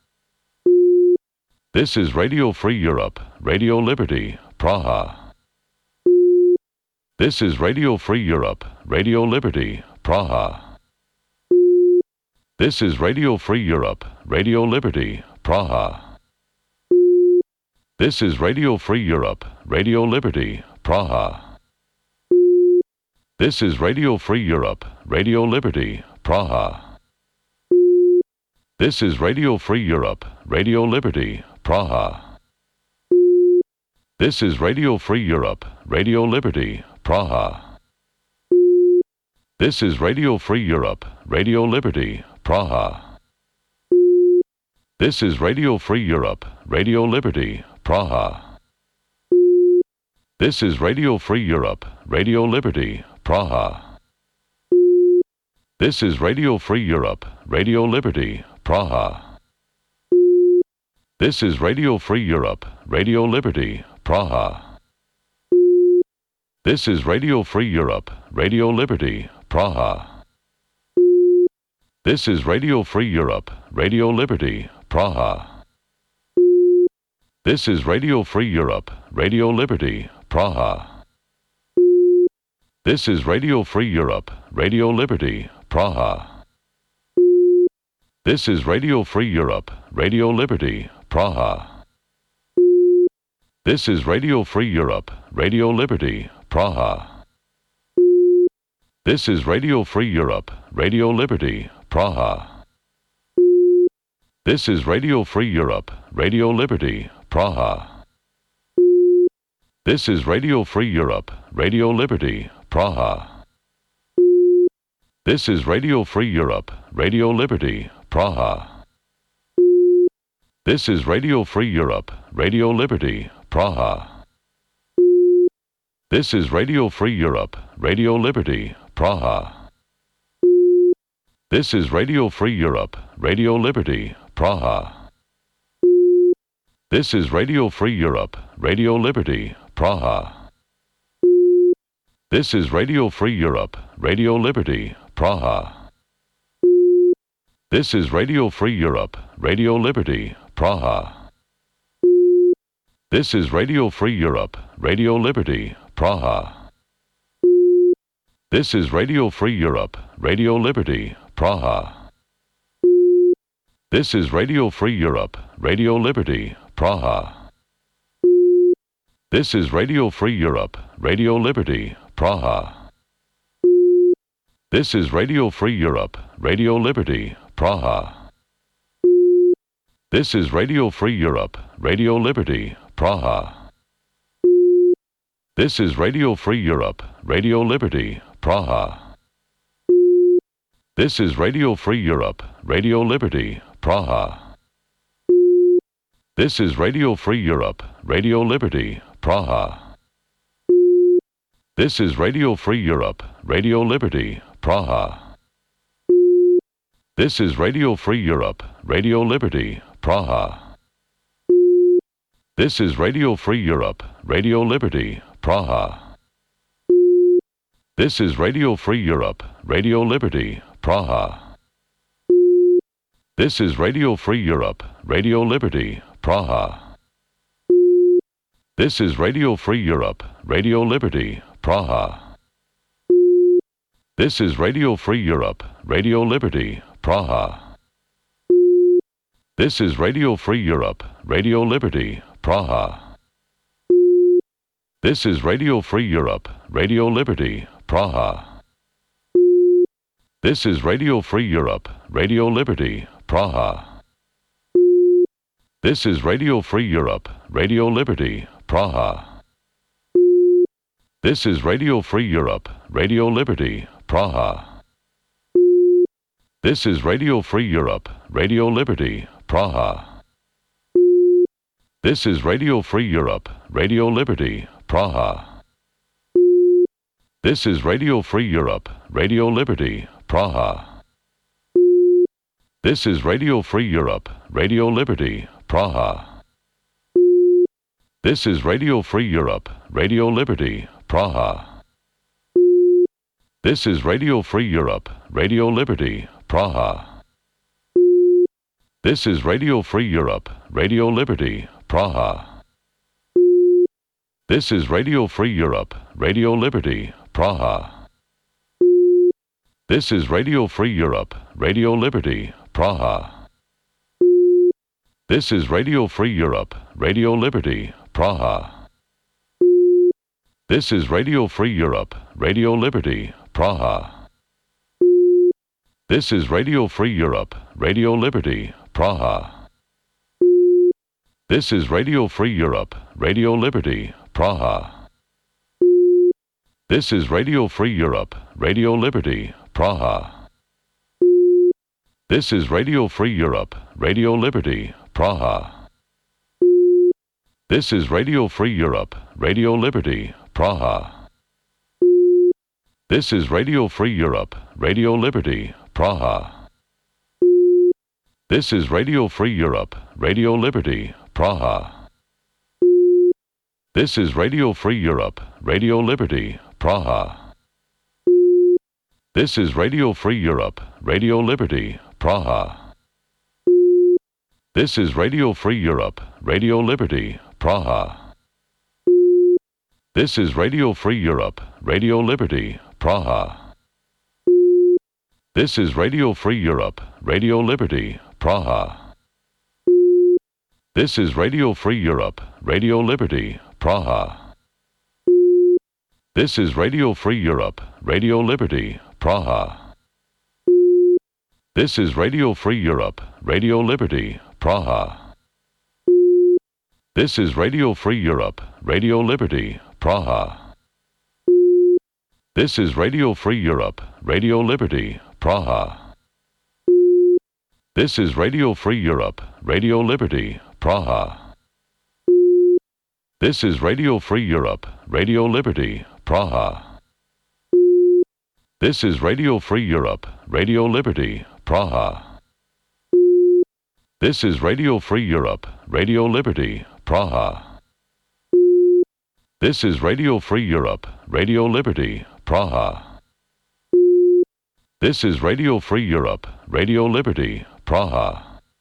This is Radio Free Europe, Radio Liberty, Praha. This is Radio Free Europe, Radio Liberty, Praha. This is Radio Free Europe, Radio Liberty, Praha. This is Radio Free Europe, Radio Liberty, Praha. This is Radio Free Europe, Radio Liberty, Praha. This is Radio Free Europe, Radio Liberty, Praha. This is Radio Free Europe, Radio Liberty, Praha. This is Radio Free Europe, Radio Liberty, Praha. This is Radio Free Europe, Radio Liberty, Praha. This is Radio Free Europe, Radio Liberty, Praha. This is Radio Free Europe, Radio Liberty, Praha. This is Radio Free Europe, Radio Liberty, Praha. This is Radio Free Europe, Radio Liberty, Praha. This is Radio Free Europe, Radio Liberty, Praha. This is Radio Free Europe, Radio Liberty, Praha. This is Radio Free Europe, Radio Liberty, Praha. This is Radio Free Europe, Radio Liberty, Praha. This is Radio Free Europe, Radio Liberty, Praha. This is Radio Free Europe, Radio Liberty, Praha. This is Radio Free Europe, Radio Liberty, Praha. This is Radio Free Europe, Radio Liberty, Praha. This is Radio Free Europe, Radio Liberty, Praha. This is Radio Free Europe, Radio Liberty, Praha. This is Radio Free Europe, Radio Liberty, Praha. This is Radio Free Europe, Radio Liberty, Praha. This is Radio Free Europe, Radio Liberty, Praha. This is Radio Free Europe, Radio Liberty, Praha. This is Radio Free Europe, Radio Liberty, Praha. This is Radio Free Europe, Radio Liberty, Praha. This is Radio Free Europe, Radio Liberty, Praha. This is Radio Free Europe, Radio Liberty, Praha. This is Radio Free Europe, Radio Liberty, Praha. This is Radio Free Europe, Radio Liberty, Praha. This is Radio Free Europe, Radio Liberty, Praha. This is Radio Free Europe, Radio Liberty, Praha. This is Radio Free Europe, Radio Liberty, Praha. This is Radio Free Europe, Radio Liberty, Praha. This is Radio Free Europe, Radio Liberty, Praha. This is Radio Free Europe, Radio Liberty, Praha. This is Radio Free Europe, Radio Liberty, Praha. This is Radio Free Europe, Radio Liberty, Praha. This is Radio Free Europe, Radio Liberty, Praha. This is Radio Free Europe, Radio Liberty, Praha. This is Radio Free Europe, Radio Liberty, Praha. This is Radio Free Europe, Radio Liberty, Praha. This is Radio Free Europe, Radio Liberty, Praha. This is Radio Free Europe, Radio Liberty, Praha. This is Radio Free Europe, Radio Liberty, Praha. This is Radio Free Europe, Radio Liberty, Praha. This is Radio Free Europe, Radio Liberty, Praha. This is Radio Free Europe, Radio Liberty, Praha. This is Radio Free Europe, Radio Liberty, Praha. This is Radio Free Europe, Radio Liberty, Praha. This is Radio Free Europe, Radio Liberty, Praha. This is Radio Free Europe, Radio Liberty, Praha. This is Radio Free Europe, Radio Liberty, Praha. This is Radio Free Europe, Radio Liberty, Praha. This is Radio Free Europe, Radio Liberty, Praha. This is Radio Free Europe, Radio Liberty, Praha. This is Radio Free Europe, Radio Liberty, Praha. This is Radio Free Europe, Radio Liberty, Praha. This is Radio Free Europe, Radio Liberty, Praha. This is Radio Free Europe, Radio Liberty, Praha. This is Radio Free Europe, Radio Liberty, Praha. This is Radio Free Europe, Radio Liberty, Praha. This is Radio Free Europe, Radio Liberty, Praha. This is Radio Free Europe, Radio Liberty, Praha. This is Radio Free Europe, Radio Liberty, Praha. This is Radio Free Europe, Radio Liberty, Praha. This is Radio Free Europe, Radio Liberty, Praha. This is Radio Free Europe, Radio Liberty, Praha. This is Radio Free Europe, Radio Liberty, Praha. This is Radio Free Europe, Radio Liberty, Praha. This is Radio Free Europe, Radio Liberty, Praha. This is Radio Free Europe, Radio Liberty, Praha. This is Radio Free Europe, Radio Liberty, Praha. This is Radio Free Europe, Radio Liberty, Praha. This is Radio Free Europe, Radio Liberty, Praha. This is Radio Free Europe, Radio Liberty, Praha. This is Radio Free Europe, Radio Liberty, Praha. This is Radio Free Europe, Radio Liberty, Praha. This is Radio Free Europe, Radio Liberty, Praha. This is Radio Free Europe, Radio Liberty, Praha.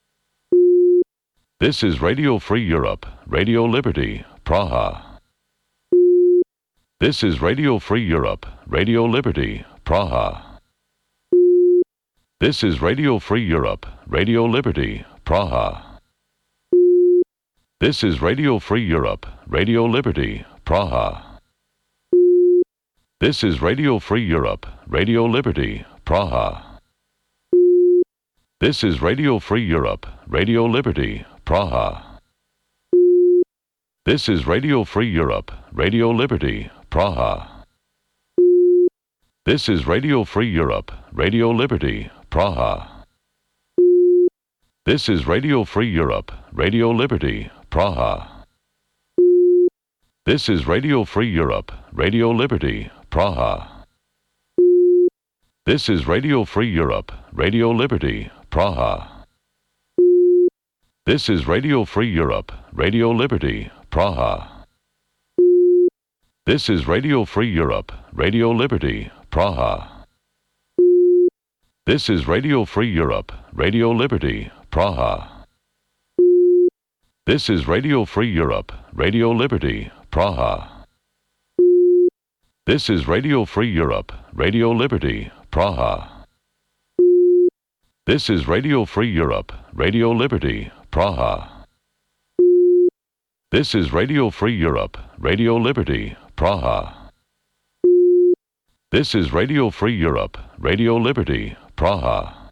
This is Radio Free Europe, Radio Liberty, Praha. This is Radio Free Europe, Radio Liberty, Praha. This is Radio Free Europe, Radio Liberty, Praha. This is Radio Free Europe, Radio Liberty, Praha. This is Radio Free Europe, Radio Liberty, Praha. This is Radio Free Europe, Radio Liberty, Praha. This is Radio Free Europe, Radio Liberty, Praha. This is Radio Free Europe, Radio Liberty, Praha. This is Radio Free Europe, Radio Liberty, Praha. This is Radio Free Europe, Radio Liberty, Praha. This is Radio Free Europe, Radio Liberty, Praha. This is Radio Free Europe, Radio Liberty, Praha. This is Radio Free Europe, Radio Liberty, Praha. This is Radio Free Europe, Radio Liberty, Praha. This is Radio Free Europe, Radio Liberty, Praha. This is Radio Free Europe, Radio Liberty, Praha. This is Radio Free Europe, Radio Liberty, Praha. This is Radio Free Europe, Radio Liberty, Praha. This is Radio Free Europe, Radio Liberty, Praha.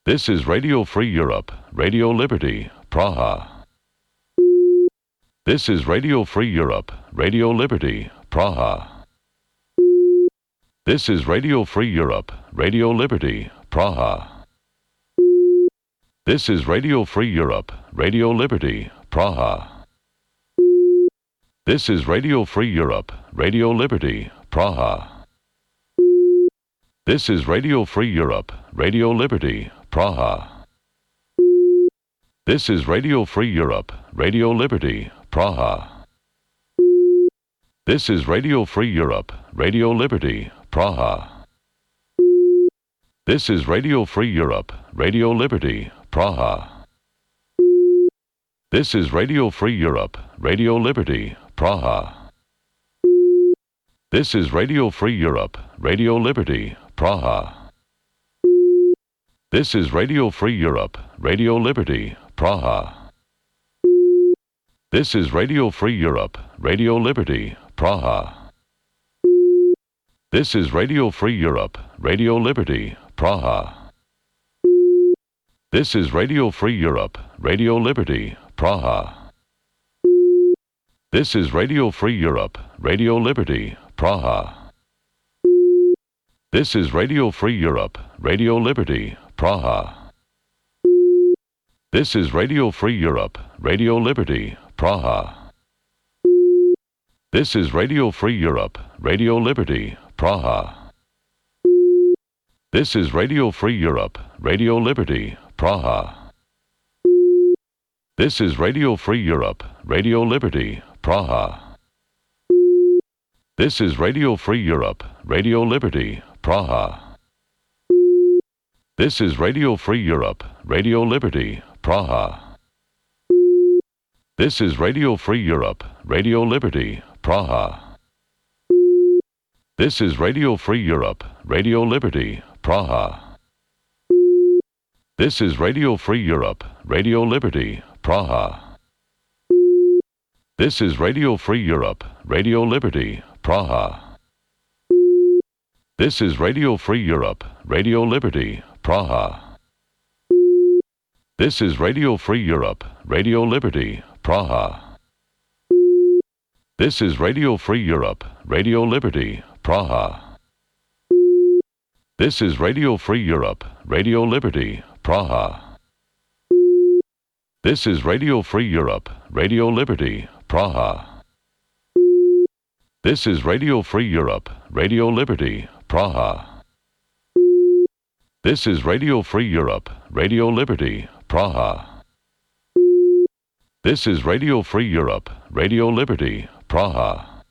This is Radio Free Europe, Radio Liberty, Praha. This is Radio Free Europe, Radio Liberty, Praha. This is Radio Free Europe, Radio Liberty, Praha. This is Radio Free Europe, Radio Liberty, Praha. This is Radio Free Europe, Radio Liberty, Praha. This is Radio Free Europe, Radio Liberty, Praha. This is Radio Free Europe, Radio Liberty, Praha. This is Radio Free Europe, Radio Liberty, Praha. This is Radio Free Europe, Radio Liberty, Praha. This is Radio Free Europe, Radio Liberty, Praha. This is Radio Free Europe, Radio Liberty, Praha. This is Radio Free Europe, Radio Liberty, Praha. This is Radio Free Europe, Radio Liberty, Praha. This is Radio Free Europe, Radio Liberty, Praha. This is Radio Free Europe, Radio Liberty, Praha. This is Radio Free Europe, Radio Liberty, Praha. This is Radio Free Europe, Radio Liberty, Praha. This is Radio Free Europe, Radio Liberty, Praha. This is Radio Free Europe, Radio Liberty, Praha. This is Radio Free Europe, Radio Liberty, Praha. This is Radio Free Europe, Radio Liberty, Praha. This is Radio Free Europe, Radio Liberty, Praha. This is Radio Free Europe, Radio Liberty, Praha. This is Radio Free Europe, Radio Liberty, Praha. This is Radio Free Europe, Radio Liberty, Praha. This is Radio Free Europe, Radio Liberty, Praha. This is Radio Free Europe, Radio Liberty, Praha. This is Radio Free Europe, Radio Liberty, Praha. This is Radio Free Europe, Radio Liberty, Praha. This is Radio Free Europe, Radio Liberty, Praha. This is Radio Free Europe, Radio Liberty, Praha. This is Radio Free Europe, Radio Liberty, Praha. This is Radio Free Europe, Radio Liberty, Praha. This is Radio Free Europe, Radio Liberty, Praha. This is Radio Free Europe, Radio Liberty, Praha.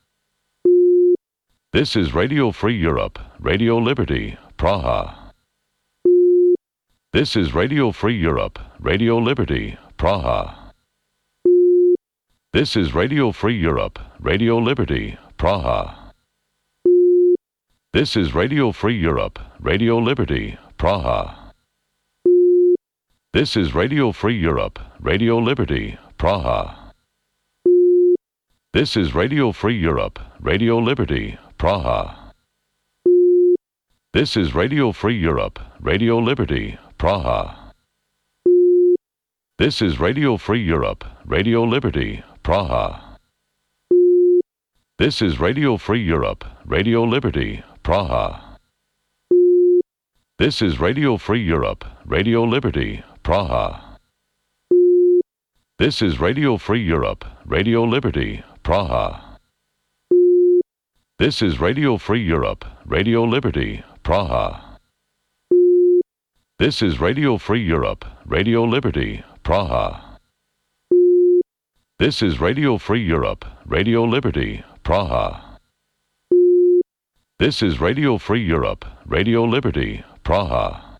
This is Radio Free Europe, Radio Liberty, Praha. This is Radio Free Europe, Radio Liberty, Praha. This is Radio Free Europe, Radio Liberty, Praha. This is Radio Free Europe, Radio Liberty, Praha. This is Radio Free Europe, Radio Liberty, Praha. This is Radio Free Europe, Radio Liberty, Praha. This is Radio Free Europe, Radio Liberty, Praha. This is Radio Free Europe, Radio Liberty, Praha. This is Radio Free Europe, Radio Liberty, Praha. This is Radio Free Europe, Radio Liberty, Praha. This is Radio Free Europe, Radio Liberty, Praha. This is Radio Free Europe, Radio Liberty, Praha. This is Radio Free Europe, Radio Liberty, Praha. This is Radio Free Europe, Radio Liberty, Praha. This is Radio Free Europe, Radio Liberty, Praha.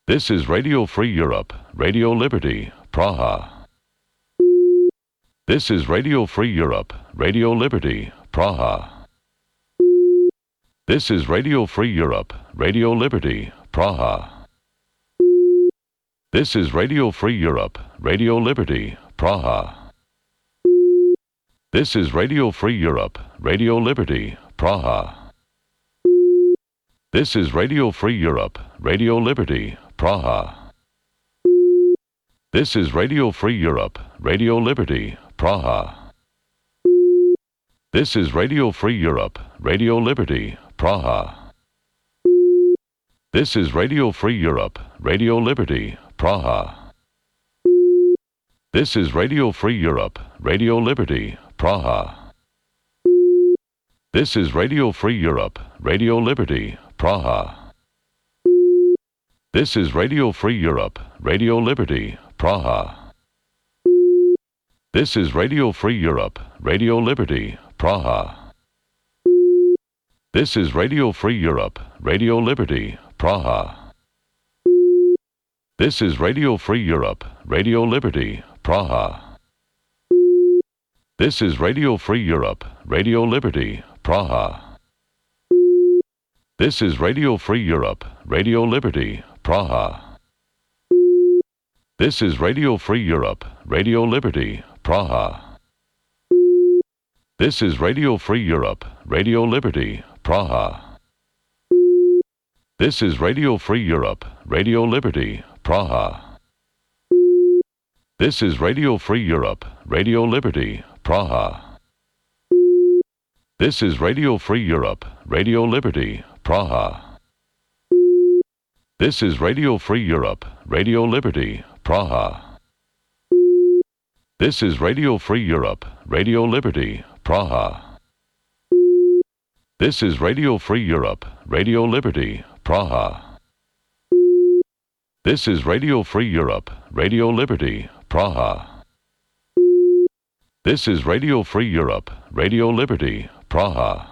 This is Radio Free Europe, Radio Liberty, Praha. This is Radio Free Europe, Radio Liberty, Praha. This is Radio Free Europe, Radio Liberty, Praha. This is Radio Free Europe, Radio Liberty, Praha. This is Radio Free Europe, Radio Liberty, Praha. This is Radio Free Europe, Radio Liberty, Praha. This is Radio Free Europe, Radio Liberty, Praha. This is Radio Free Europe, Radio Liberty, Praha. This is Radio Free Europe, Radio Liberty, Praha. This is Radio Free Europe, Radio Liberty, Praha. This is Radio Free Europe, Radio Liberty, Praha. This is Radio Free Europe, Radio Liberty, Praha. This is Radio Free Europe, Radio Liberty, Praha. This is Radio Free Europe, Radio Liberty, Praha. This is Radio Free Europe, Radio Liberty, Praha. This is Radio Free Europe, Radio Liberty, Praha. This is Radio Free Europe, Radio Liberty, Praha. This is Radio Free Europe, Radio Liberty, Praha. This is Radio Free Europe, Radio Liberty, Praha. This is Radio Free Europe, Radio Liberty, Praha. This is Radio Free Europe, Radio Liberty, Praha. This is Radio Free Europe, Radio Liberty, Praha. This is Radio Free Europe, Radio Liberty, Praha. This is Radio Free Europe, Radio Liberty, Praha. This is Radio Free Europe, Radio Liberty, Praha. This is Radio Free Europe, Radio Liberty, Praha. This is Radio Free Europe, Radio Liberty, Praha.